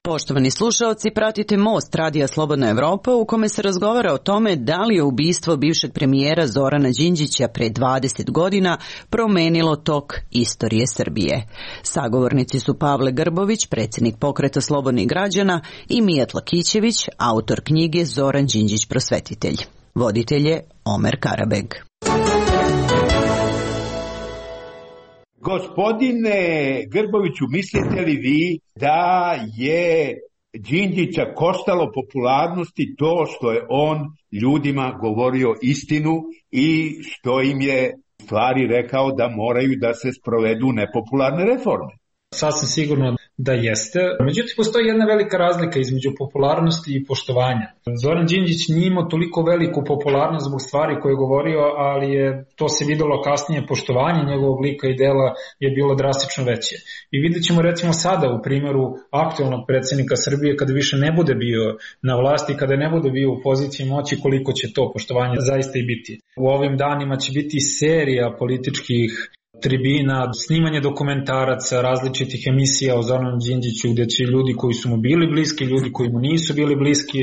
Poštovani slušaoci, pratite Most Radija Slobodna Evropa u kome se razgovara o tome da li je ubistvo bivšeg premijera Zorana Đinđića pre dvadeset godina promenilo tok istorije Srbije. Sagovornici su Pavle Grbović, predsjednik Pokreta slobodnih građana, i Mijat Lakićević, autor knjige Zoran Đinđić prosvetitelj. Voditelj je Omer Karabeg. Gospodine Grboviću, mislite li vi da je Đinđića koštalo popularnosti to što je on ljudima govorio istinu i što im je u stvari rekao da moraju da se sprovedu nepopularne reforme? Sasvim sigurno da jeste. Međutim, postoji jedna velika razlika između popularnosti i poštovanja. Zoran Đinđić nije imao toliko veliku popularnost zbog stvari koje je govorio, ali je to se videlo kasnije, poštovanje njegovog lika i dela je bilo drastično veće. I vidjet ćemo recimo sada u primjeru aktualnog predsjednika Srbije, kada više ne bude bio na vlasti, kada ne bude bio u poziciji moći, koliko će to poštovanje zaista i biti. U ovim danima će biti serija političkih tribina, snimanje dokumentaraca, različitih emisija o Zoranu Đinđiću, gdje će ljudi koji su mu bili bliski, ljudi koji mu nisu bili bliski,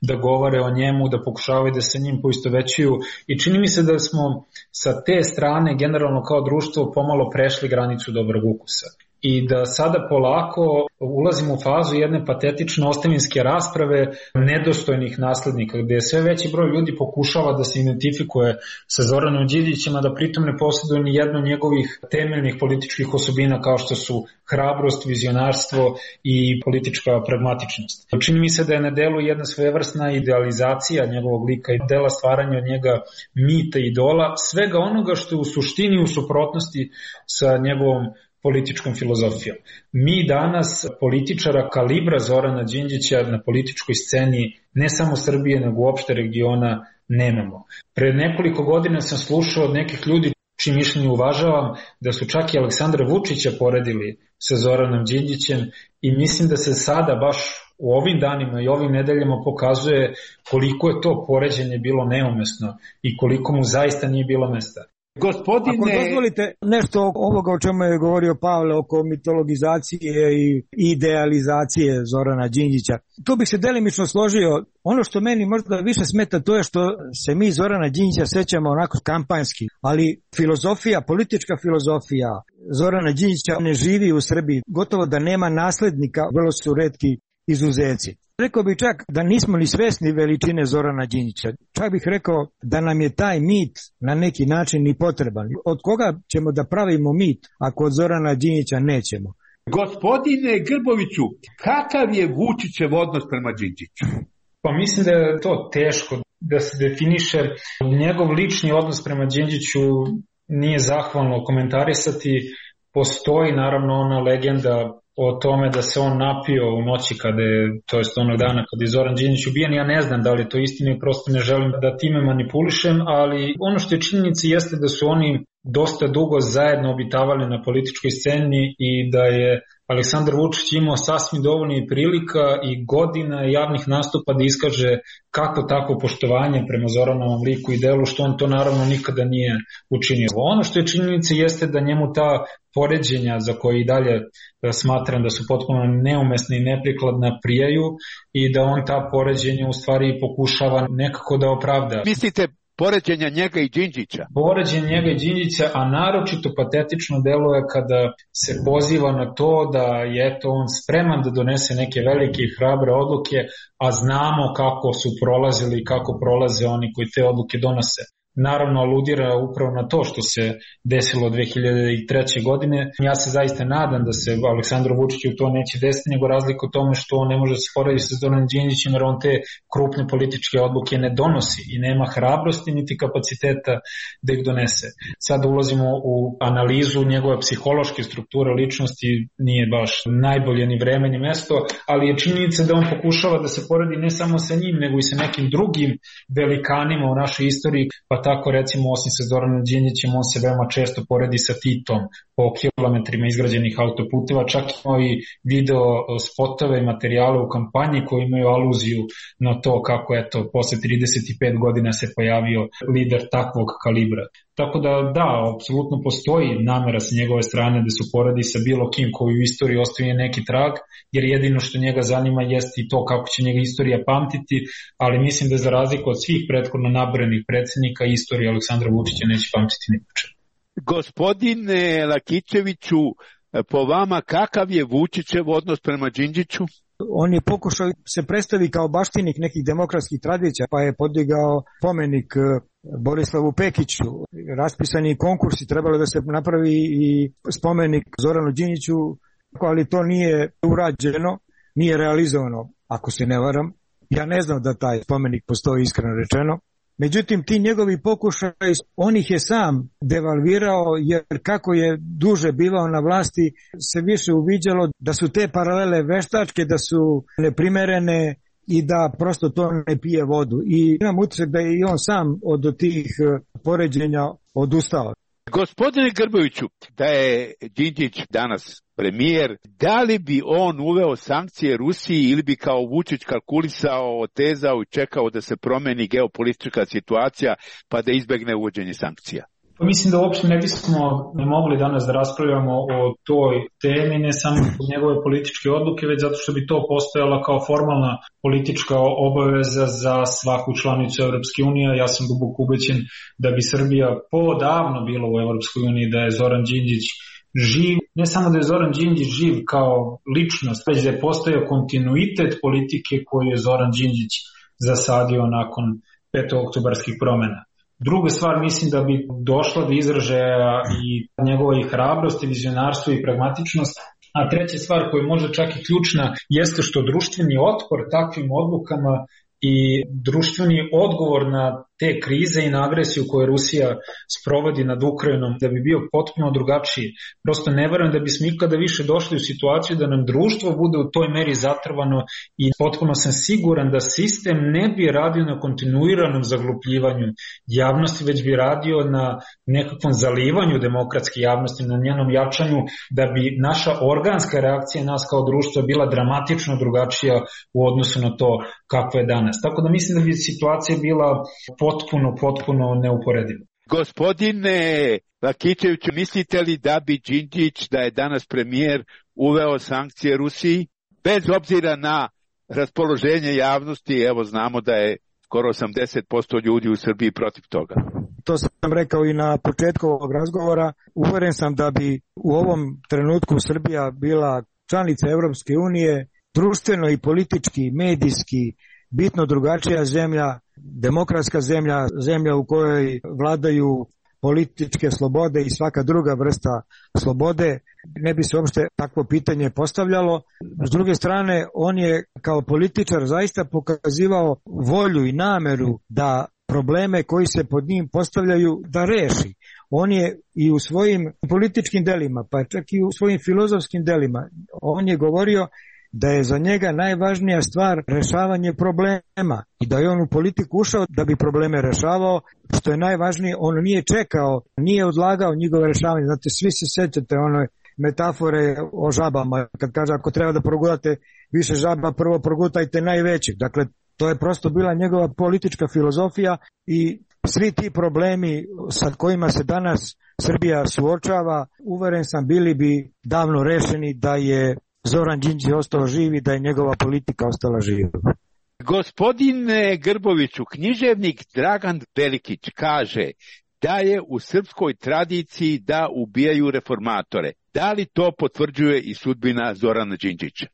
da govore o njemu, da pokušavaju da se njim poistovećuju. I čini mi se da smo sa te strane generalno kao društvo pomalo prešli granicu dobrog ukusa. I da sada polako ulazimo u fazu jedne patetične ostavinske rasprave nedostojnih naslednika, gdje sve veći broj ljudi pokušava da se identifikuje sa Zoranom Đinđićem, a da pritom ne posjeduje ni jednu njegovih temeljnih političkih osobina kao što su hrabrost, vizionarstvo i politička pragmatičnost. Čini mi se da je na delu jedna svevrsna idealizacija njegovog lika i dela stvaranja od njega mita, idola, svega onoga što je u suštini u suprotnosti sa njegovom političkom filozofijom. Mi danas političara kalibra Zorana Đinđića na političkoj sceni ne samo Srbije, nego uopšte regiona nemamo. Pre nekoliko godina sam slušao od nekih ljudi, čiji mišljenje uvažavam, da su čak i Aleksandra Vučića poredili sa Zoranom Đinđićem, i mislim da se sada baš u ovim danima i ovim nedeljama pokazuje koliko je to poređenje bilo neumesno i koliko mu zaista nije bilo mesta. Gospodine... Ako dozvolite nešto ovoga o čemu je govorio Pavle oko mitologizacije i idealizacije Zorana Đinđića, tu bih se delimično složio. Ono što meni možda više smeta to je što se mi Zorana Đinđića sećamo onako kampanjski, ali filozofija, politička filozofija Zorana Đinđića ne živi u Srbiji, gotovo da nema naslednika, vrlo su retki izuzeci. Rekao bih čak da nismo ni svesni veličine Zorana Đinđića. Čak bih rekao da nam je taj mit na neki način ni potreban. Od koga ćemo da pravimo mit ako od Zorana Đinđića nećemo? Gospodine Grboviću, kakav je Vučićev odnos prema Đinđiću? Pa mislim da je to teško da se definiše. Njegov lični odnos prema Đinđiću nije zahvalno komentarisati. Postoji naravno ona legenda o tome da se on napio u noći kada je, to jest onog dana kada je Zoran Đinđić ubijen. Ja ne znam da li je to istina i prosto ne želim da time manipulišem, ali ono što je činjenica jeste da su oni dosta dugo zajedno obitavali na političkoj sceni i da je Aleksandar Vučić imao sasvim dovoljno i prilika i godina javnih nastupa da iskaže kako tako poštovanje prema Zoranovom liku i delu, što on to naravno nikada nije učinio. Ono što je činjenica jeste da njemu ta poređenja za koje i dalje smatram da su potpuno neumesne i neprikladna prijaju i da on ta poređenja u stvari pokušava nekako da opravda. Mislite poređenja njega i Đinđića? Poređenja njega i Đinđića, a naročito patetično deluje kada se poziva na to da je eto on spreman da donese neke velike i hrabre odluke, a znamo kako su prolazili i kako prolaze oni koji te odluke donose. naravno aludira upravo na to što se desilo dve hiljade treće. godine. Ja se zaista nadam da se Aleksandru Vučiću to neće desiti, nego razlika u tome što on ne može se sporediti sa Zoranom Đinđićem, jer on te krupne političke odluke ne donosi i nema hrabrosti niti kapaciteta da ih donese. Sad ulazimo u analizu njegove psihološke strukture ličnosti, nije baš najbolje ni vreme ni mesto, ali je činjenica da on pokušava da se poredi ne samo sa njim, nego i sa nekim drugim velikanima u našoj istoriji, pa tako recimo osim sa Zoranom Đinđićem on se veoma često poredi sa Titom po kilometrima izgrađenih autoputeva, čak imao i video spotove i materijale u kampanji koji imaju aluziju na to kako eto posle trideset pet godina se pojavio lider takvog kalibra. Tako da da, apsolutno postoji namera sa njegove strane da se poredi sa bilo kim koji u istoriji ostaje neki trag, jer jedino što njega zanima jeste i to kako će njega istorija pamtiti, ali mislim da za razliku od svih prethodno nabrojenih predsjednika istorija Aleksandra Vučića neće pamtiti nikada. Gospodine Lakićeviću, po vama kakav je Vučićev odnos prema Đinđiću? On je pokušao se predstavi kao baštinik nekih demokratskih tradicija, pa je podigao spomenik Borislavu Pekiću. Raspisani konkursi, trebalo da se napravi i spomenik Zoranu Đinđiću, ali to nije urađeno, nije realizovano, ako se ne varam. Ja ne znam da taj spomenik postoji, iskreno rečeno. Međutim, ti njegovi pokušaj, on ih je sam devalvirao, jer kako je duže bivao na vlasti, se više uviđalo da su te paralele veštačke, da su neprimerene i da prosto to ne pije vodu. I imam utisak da je i on sam od tih poređenja odustao. Gospodine Grboviću, da je Đinđić danas premijer, da li bi on uveo sankcije Rusiji ili bi kao Vučić kalkulisao, otezao i čekao da se promeni geopolitička situacija pa da izbegne uvođenje sankcija? Pa mislim da uopšte ne bismo ne mogli danas da raspravljamo o toj temi, ne samo zbog njegove političke odluke, već zato što bi to postojala kao formalna politička obaveza za svaku članicu Evropske unije. Ja sam duboko ubeđen da bi Srbija podavno bila u Evropskoj uniji da je Zoran Đinđić živ. Ne samo da je Zoran Đinđić živ kao ličnost, već da je postojao kontinuitet politike koju je Zoran Đinđić zasadio nakon petooktobarskih promena. Druga stvar, mislim da bi došla do izražaja i njegova i hrabrost, i vizionarstvo i pragmatičnost. A treća stvar koja može čak i ključna jeste što društveni otpor takvim odlukama i društveni odgovor na te krize i na agresiju koju Rusija sprovodi nad Ukrajinom da bi bio potpuno drugačiji. Prosto ne verujem da bismo ikada više došli u situaciju da nam društvo bude u toj meri zatrvano i potpuno sam siguran da sistem ne bi radio na kontinuiranom zaglupljivanju javnosti, već bi radio na nekakvom zalivanju demokratske javnosti, na njenom jačanju, da bi naša organska reakcija nas kao društva bila dramatično drugačija u odnosu na to kakva je danas. Tako da mislim da bi situacija bila potpuno, potpuno neuporedivo. Gospodine Lakićeviću, mislite li da bi Đinđić, da je danas premijer, uveo sankcije Rusiji? Bez obzira na raspoloženje javnosti, evo znamo da je skoro osamdeset posto ljudi u Srbiji protiv toga. To sam rekao i na početku ovog razgovora. Uveren sam da bi u ovom trenutku Srbija bila članica Evropske unije, društveno i politički, medijski, bitno drugačija zemlja, demokratska zemlja, zemlja u kojoj vladaju političke slobode i svaka druga vrsta slobode, ne bi se uopšte takvo pitanje postavljalo. S druge strane, on je kao političar zaista pokazivao volju i nameru da probleme koji se pod njim postavljaju da reši. On je i u svojim političkim delima, pa čak i u svojim filozofskim delima, on je govorio da je za njega najvažnija stvar rešavanje problema i da je on u politiku ušao da bi probleme rešavao, što je najvažnije, on nije čekao, nije odlagao njegove rešavanje. Znate, svi se sećate one metafore o žabama, kad kaže ako treba da progurate više žaba, prvo progutajte najvećih. Dakle, to je prosto bila njegova politička filozofija i svi ti problemi sa kojima se danas Srbija suočava, uveren sam, bili bi davno rešeni da je Zoran Đinđić ostao živ i da je njegova politika ostala živa. Gospodine Grboviću, književnik Dragan Velikić kaže da je u srpskoj tradiciji da ubijaju reformatore. Da li to potvrđuje i sudbina Zorana Đinđića?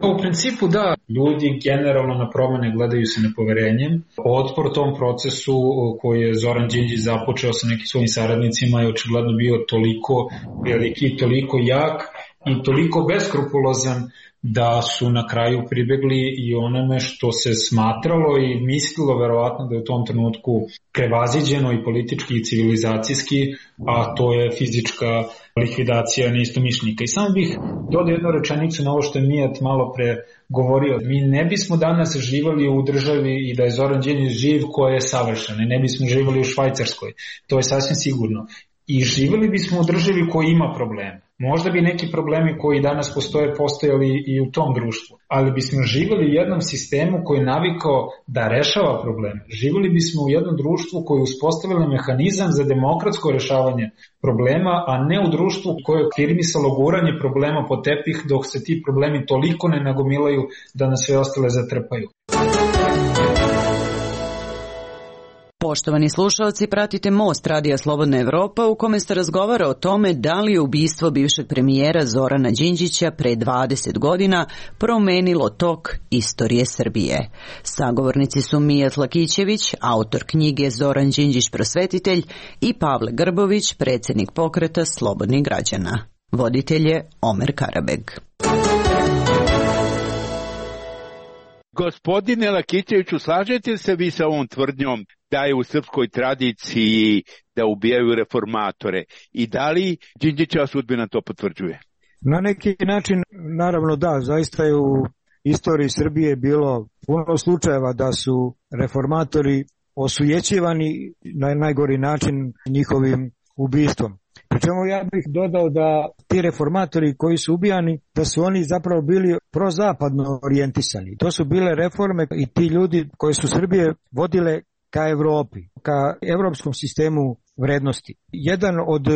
U principu da, ljudi generalno na promene gledaju se nepoverenjem. Otpor tom procesu koji je Zoran Đinđić započeo sa nekim svojim saradnicima je očigledno bio toliko veliki, toliko jak i toliko beskrupulozan da su na kraju pribegli i onome što se smatralo i mislilo verovatno da je u tom trenutku prevaziđeno i politički i civilizacijski, a to je fizička likvidacija neistomišljenika. I samo bih dodao jednu rečenicu na ovo što je Mijat malo pre govorio. Mi ne bismo danas živali u državi i da je Zoran Đinđić živ koja je savršena. Ne bismo živali u Švajcarskoj. To je sasvim sigurno. I živeli bismo u državi koja ima probleme. Možda bi neki problemi koji danas postoje postojali i u tom društvu, ali bismo živeli u jednom sistemu koji je navikao da rešava probleme. Živeli bismo u jednom društvu koje je uspostavilo mehanizam za demokratsko rešavanje problema, a ne u društvu koje je firmisalo guranje problema po tepih dok se ti problemi toliko ne nagomilaju da nas sve ostale zatrpaju. Poštovani slušalci, pratite Most Radija Slobodna Evropa u kome se razgovara o tome da li je ubistvo bivšeg premijera Zorana Đinđića pre dvadeset godina promenilo tok istorije Srbije. Sagovornici su Mijat Lakićević, autor knjige Zoran Đinđić prosvetitelj, i Pavle Grbović, predsjednik pokreta Slobodnih građana. Voditelj je Omer Karabeg. Gospodine Lakićeviću, slažete se vi sa ovom tvrdnjom da je u srpskoj tradiciji da ubijaju reformatore i da li Đinđićeva sudbina to potvrđuje? Na neki način, naravno da, zaista je u istoriji Srbije bilo puno slučajeva da su reformatori osujećivani na najgori način njihovim ubistvom. Pričemu ja bih dodao da ti reformatori koji su ubijani, da su oni zapravo bili prozapadno orijentisani. To su bile reforme i ti ljudi koji su Srbije vodile ka Evropi, ka evropskom sistemu vrednosti. Jedan od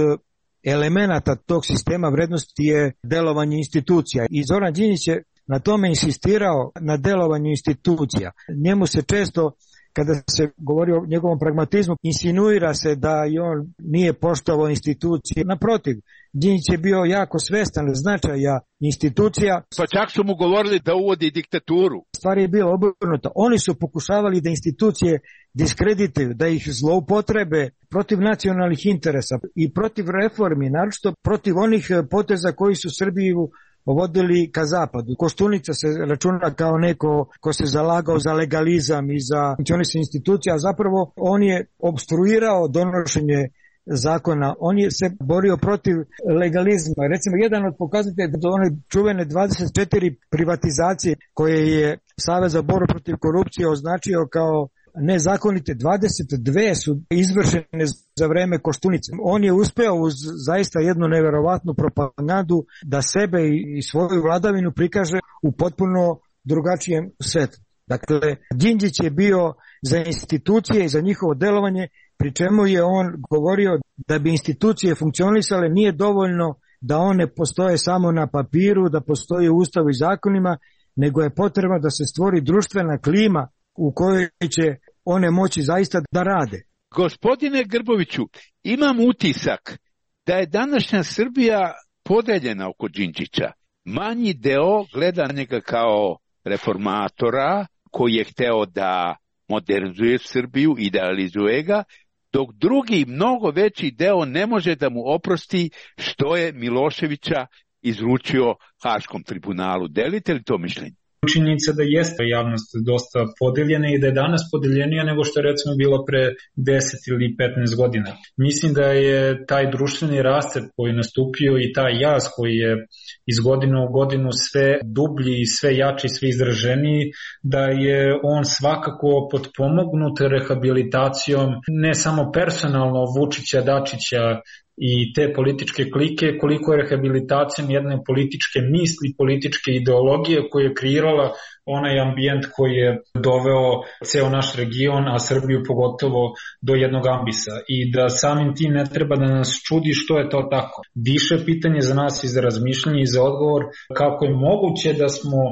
elemenata tog sistema vrednosti je delovanje institucija i Zoran Đinđić je na tome insistirao, na delovanju institucija. Njemu se često, kada se govori o njegovom pragmatizmu, insinuira se da i on nije poštovao institucije. Naprotiv, Đinđić je bio jako svestan značaja institucija. Pa čak su mu govorili da uvodi diktaturu. Stvar je bila obrnuta. Oni su pokušavali da institucije diskredituju, da ih zloupotrebe protiv nacionalnih interesa i protiv reformi, naročito protiv onih poteza koji su Srbiju vodili ka zapadu. Koštunica se računa kao neko ko se zalagao za legalizam i za funkcionisanje institucija, a zapravo on je obstruirao donošenje zakona, on je se borio protiv legalizma. Recimo, jedan od pokazatelja da one čuvene dvadeset četiri privatizacije koje je Savez za borbu protiv korupcije označio kao nezakonite, dvadeset dve su izvršene za vreme Koštunice. On je uspeo uz zaista jednu neverovatnu propagandu da sebe i svoju vladavinu prikaže u potpuno drugačijem svetu. Dakle, Đinđić je bio za institucije i za njihovo delovanje, pri čemu je on govorio da bi institucije funkcionisale nije dovoljno da one postoje samo na papiru, da postoje u ustavu i zakonima, nego je potrebno da se stvori društvena klima u kojoj će one moći zaista da rade. Gospodine Grboviću, imam utisak da je današnja Srbija podeljena oko Đinđića. Manji deo gleda njega kao reformatora koji je hteo da modernizuje Srbiju, idealizuje ga, dok drugi, mnogo veći deo ne može da mu oprosti što je Miloševića izručio Haškom tribunalu. Delite li to mišljenje? Činjenica da jeste javnost dosta podeljena i da je danas podeljenija nego što je recimo bilo pre deset ili petnaest godina. Mislim da je taj društveni rascep koji je nastupio i taj jaz koji je iz godine u godinu sve dublji, sve jači, sve izraženiji, da je on svakako potpomognut rehabilitacijom ne samo personalno Vučića, Dačića i te političke klike, koliko je rehabilitacijom jedne političke misli, političke ideologije koja je kreirala onaj ambijent koji je doveo ceo naš region, a Srbiju pogotovo do jednog ambisa. I da samim tim ne treba da nas čudi što je to tako. Više pitanje za nas i za razmišljanje i za odgovor kako je moguće da smo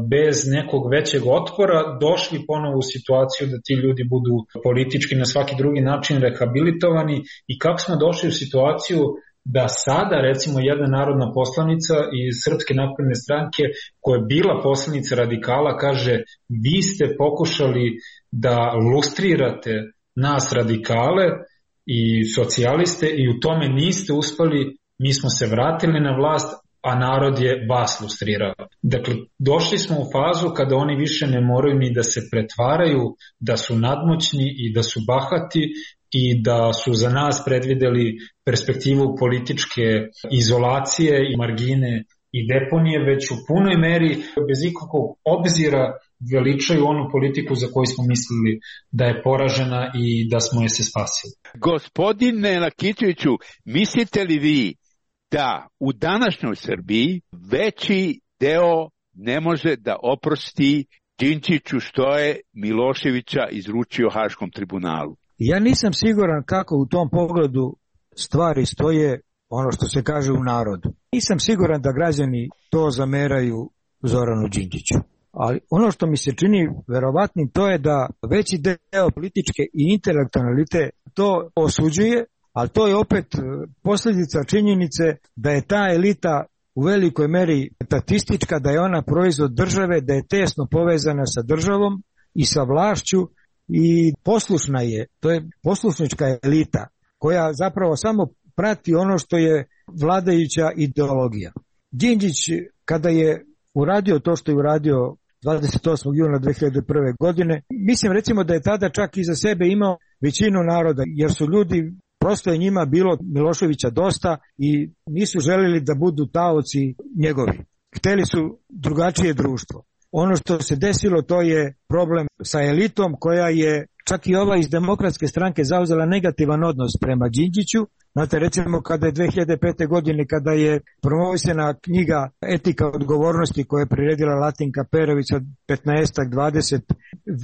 bez nekog većeg otpora došli ponovo u situaciju da ti ljudi budu politički na svaki drugi način rehabilitovani i kako smo došli u situaciju da sada recimo jedna narodna poslanica iz Srpske napredne stranke koja je bila poslanica radikala kaže vi ste pokušali da lustrirate nas radikale i socijaliste i u tome niste uspeli, mi smo se vratili na vlast, a narod je vas lustrirao. Dakle, došli smo u fazu kada oni više ne moraju ni da se pretvaraju da su nadmoćni i da su bahati i da su za nas predvideli perspektivu političke izolacije i margine i deponije, već u punoj meri, bez ikakvog obzira, veličaju onu politiku za koju smo mislili da je poražena i da smo je se spasili. Gospodine Lakićeviću, mislite li vi da u današnjoj Srbiji veći deo ne može da oprosti Đinđiću što je Miloševića izručio Haškom tribunalu? Ja nisam siguran kako u tom pogledu stvari stoje, ono što se kaže u narodu. Nisam siguran da građani to zameraju Zoranu Đinđiću. Ali ono što mi se čini verovatnim to je da veći deo političke i intelektualne elite to osuđuje, ali to je opet posljedica činjenice da je ta elita u velikoj meri statistička, da je ona proizvod države, da je tesno povezana sa državom i sa vlašću i poslušna je. To je poslušnička elita koja zapravo samo prati ono što je vladajuća ideologija. Đinđić kada je uradio to što je uradio dvadeset osmog juna dve hiljade prve. godine, mislim recimo da je tada čak iza sebe imao većinu naroda, jer su ljudi, prosto je njima bilo Miloševića dosta i nisu željeli da budu taoci njegovi. Hteli su drugačije društvo. Ono što se desilo to je problem sa elitom koja je čak i ova iz Demokratske stranke zauzela negativan odnos prema Đinđiću. Znate, recimo kada je dve hiljade pete. godine, kada je promovisana knjiga Etika odgovornosti koja je priredila Latinka Perović od petnaestak dvadeset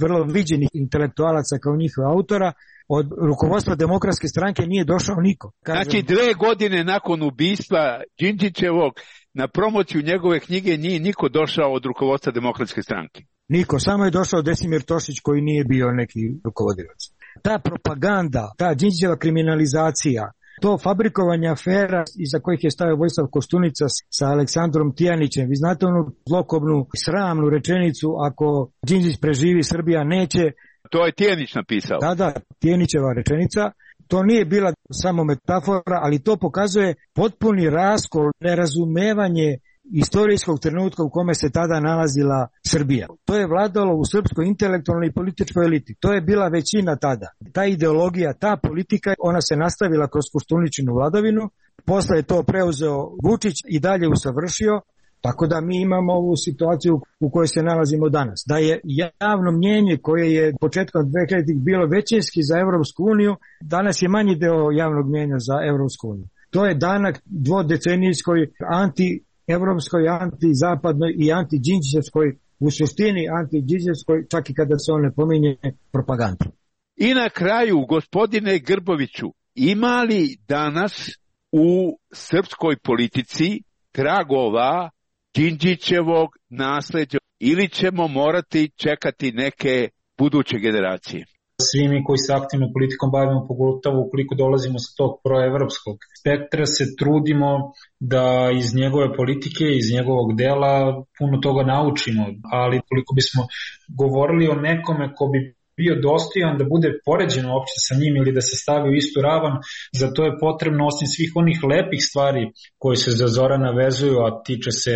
vrlo viđenih intelektualaca kao njihova autora, od rukovodstva Demokratske stranke nije došao niko. Kažem, znači dve godine nakon ubistva Đinđićevog na promociju njegove knjige nije niko došao od rukovodstva Demokratske stranke. Niko, samo je došao Desimir Tošić koji nije bio neki rukovodilac. Ta propaganda, ta Đinđićeva kriminalizacija, to fabrikovanje afera iza kojih je stavio Vojislav Koštunica sa Aleksandrom Tijanićem. Vi znate onu zlokobnu, sramnu rečenicu, ako Đinđić preživi, Srbija neće. To je Tijanić napisao. Da, da, Tijanićeva rečenica. To nije bila samo metafora, ali to pokazuje potpuni raskol, nerazumevanje istorijskog trenutka u kome se tada nalazila Srbija. To je vladalo u srpskoj intelektualnoj i političkoj eliti. To je bila većina tada. Ta ideologija, ta politika, ona se nastavila kroz Koštuničinu vladavinu, posle je to preuzeo Vučić i dalje usavršio, tako da mi imamo ovu situaciju u kojoj se nalazimo danas. Da je javno mnjenje koje je početkom dve hiljaditih bilo većinski za Evropsku uniju, danas je manji deo javnog mnjenja za Evropsku uniju. To je danak dvodecenijskoj anti evropskoj, antizapadnoj i anti-đinđićevskoj, u suštini anti-đinđićevskoj, čak i kada se on ne pominje, propaganda. I na kraju, gospodine Grboviću, ima li danas u srpskoj politici tragova Đinđićevog nasleđa ili ćemo morati čekati neke buduće generacije? Svi mi koji se aktivno politikom bavimo, pogotovo ukoliko dolazimo sa tog proevropskog spektra, se trudimo da iz njegove politike, iz njegovog dela puno toga naučimo, ali koliko bismo govorili o nekome ko bi bio dostojan da bude poređen uopće sa njim ili da se stavi u istu ravan, za to je potrebno osim svih onih lepih stvari koje se za Zorana vezuju, a tiče se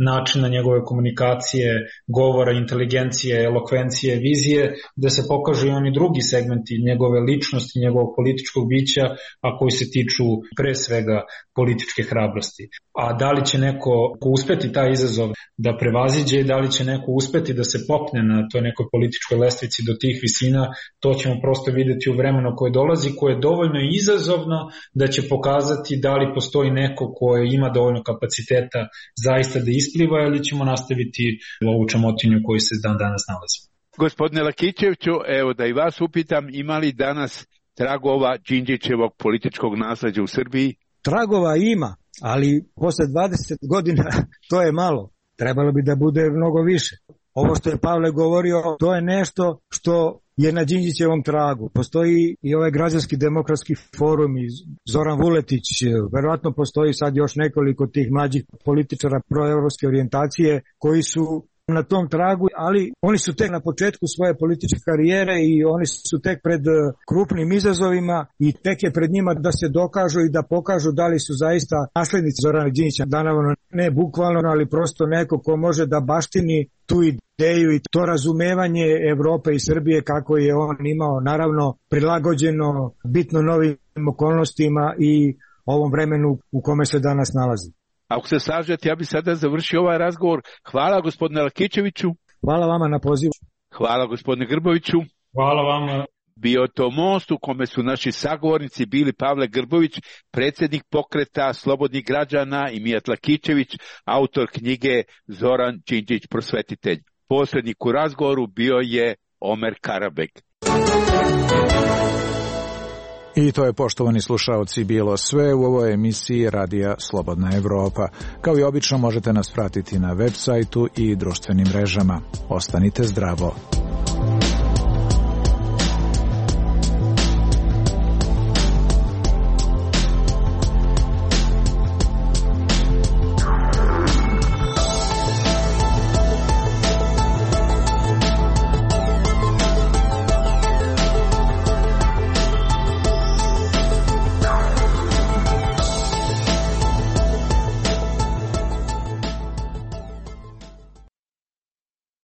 načina njegove komunikacije, govora, inteligencije, elokvencije, vizije, da se pokažu i oni drugi segmenti njegove ličnosti, njegovog političkog bića, a koji se tiču pre svega političke hrabrosti. A da li će neko uspeti taj izazov da prevaziđe, da li će neko uspeti da se popne na toj nekoj političkoj lestvici do tih visina, to ćemo prosto videti u vremenu koje dolazi, koje je dovoljno izazovno da će pokazati da li postoji neko koje ima dovoljno kapaciteta zaista da ispliva ili ćemo nastaviti ovu čamotinju koju se dan danas nalazi. Gospodine Lakićeviću, evo da i vas upitam, ima li danas tragova Đinđićevog političkog nasleđa u Srbiji? Tragova ima, ali posle dvadeset godina to je malo. Trebalo bi da bude mnogo više. Ovo što je Pavle govorio, to je nešto što je na Đinđićevom tragu. Postoji i ovaj građanski demokratski forum i Zoran Vuletić, verovatno postoji sad još nekoliko tih mlađih političara proevropske orijentacije koji su na tom tragu, ali oni su tek na početku svoje političke karijere i oni su tek pred krupnim izazovima i tek je pred njima da se dokažu i da pokažu da li su zaista naslednici Zorana Đinđića. Naravno, ne bukvalno, ali prosto neko ko može da baštini tu ideju i to razumevanje Evrope i Srbije kako je on imao, naravno prilagođeno bitno novim okolnostima i ovom vremenu u kome se danas nalazi. Ako se slažete, ja bih sada završio ovaj razgovor. Hvala gospodine Lakićeviću. Hvala vama na pozivu. Hvala gospodine Grboviću. Hvala vama. Bio to most u kome su naši sagovornici bili Pavle Grbović, predsjednik pokreta Slobodnih građana, i Mijat Lakićević, autor knjige Zoran Đinđić prosvetitelj. Posrednik u razgovoru bio je Omer Karabek. I to je, poštovani slušaoci, bilo sve u ovoj emisiji Radija Slobodna Evropa. Kao i obično možete nas pratiti na web sajtu i društvenim mrežama. Ostanite zdravo.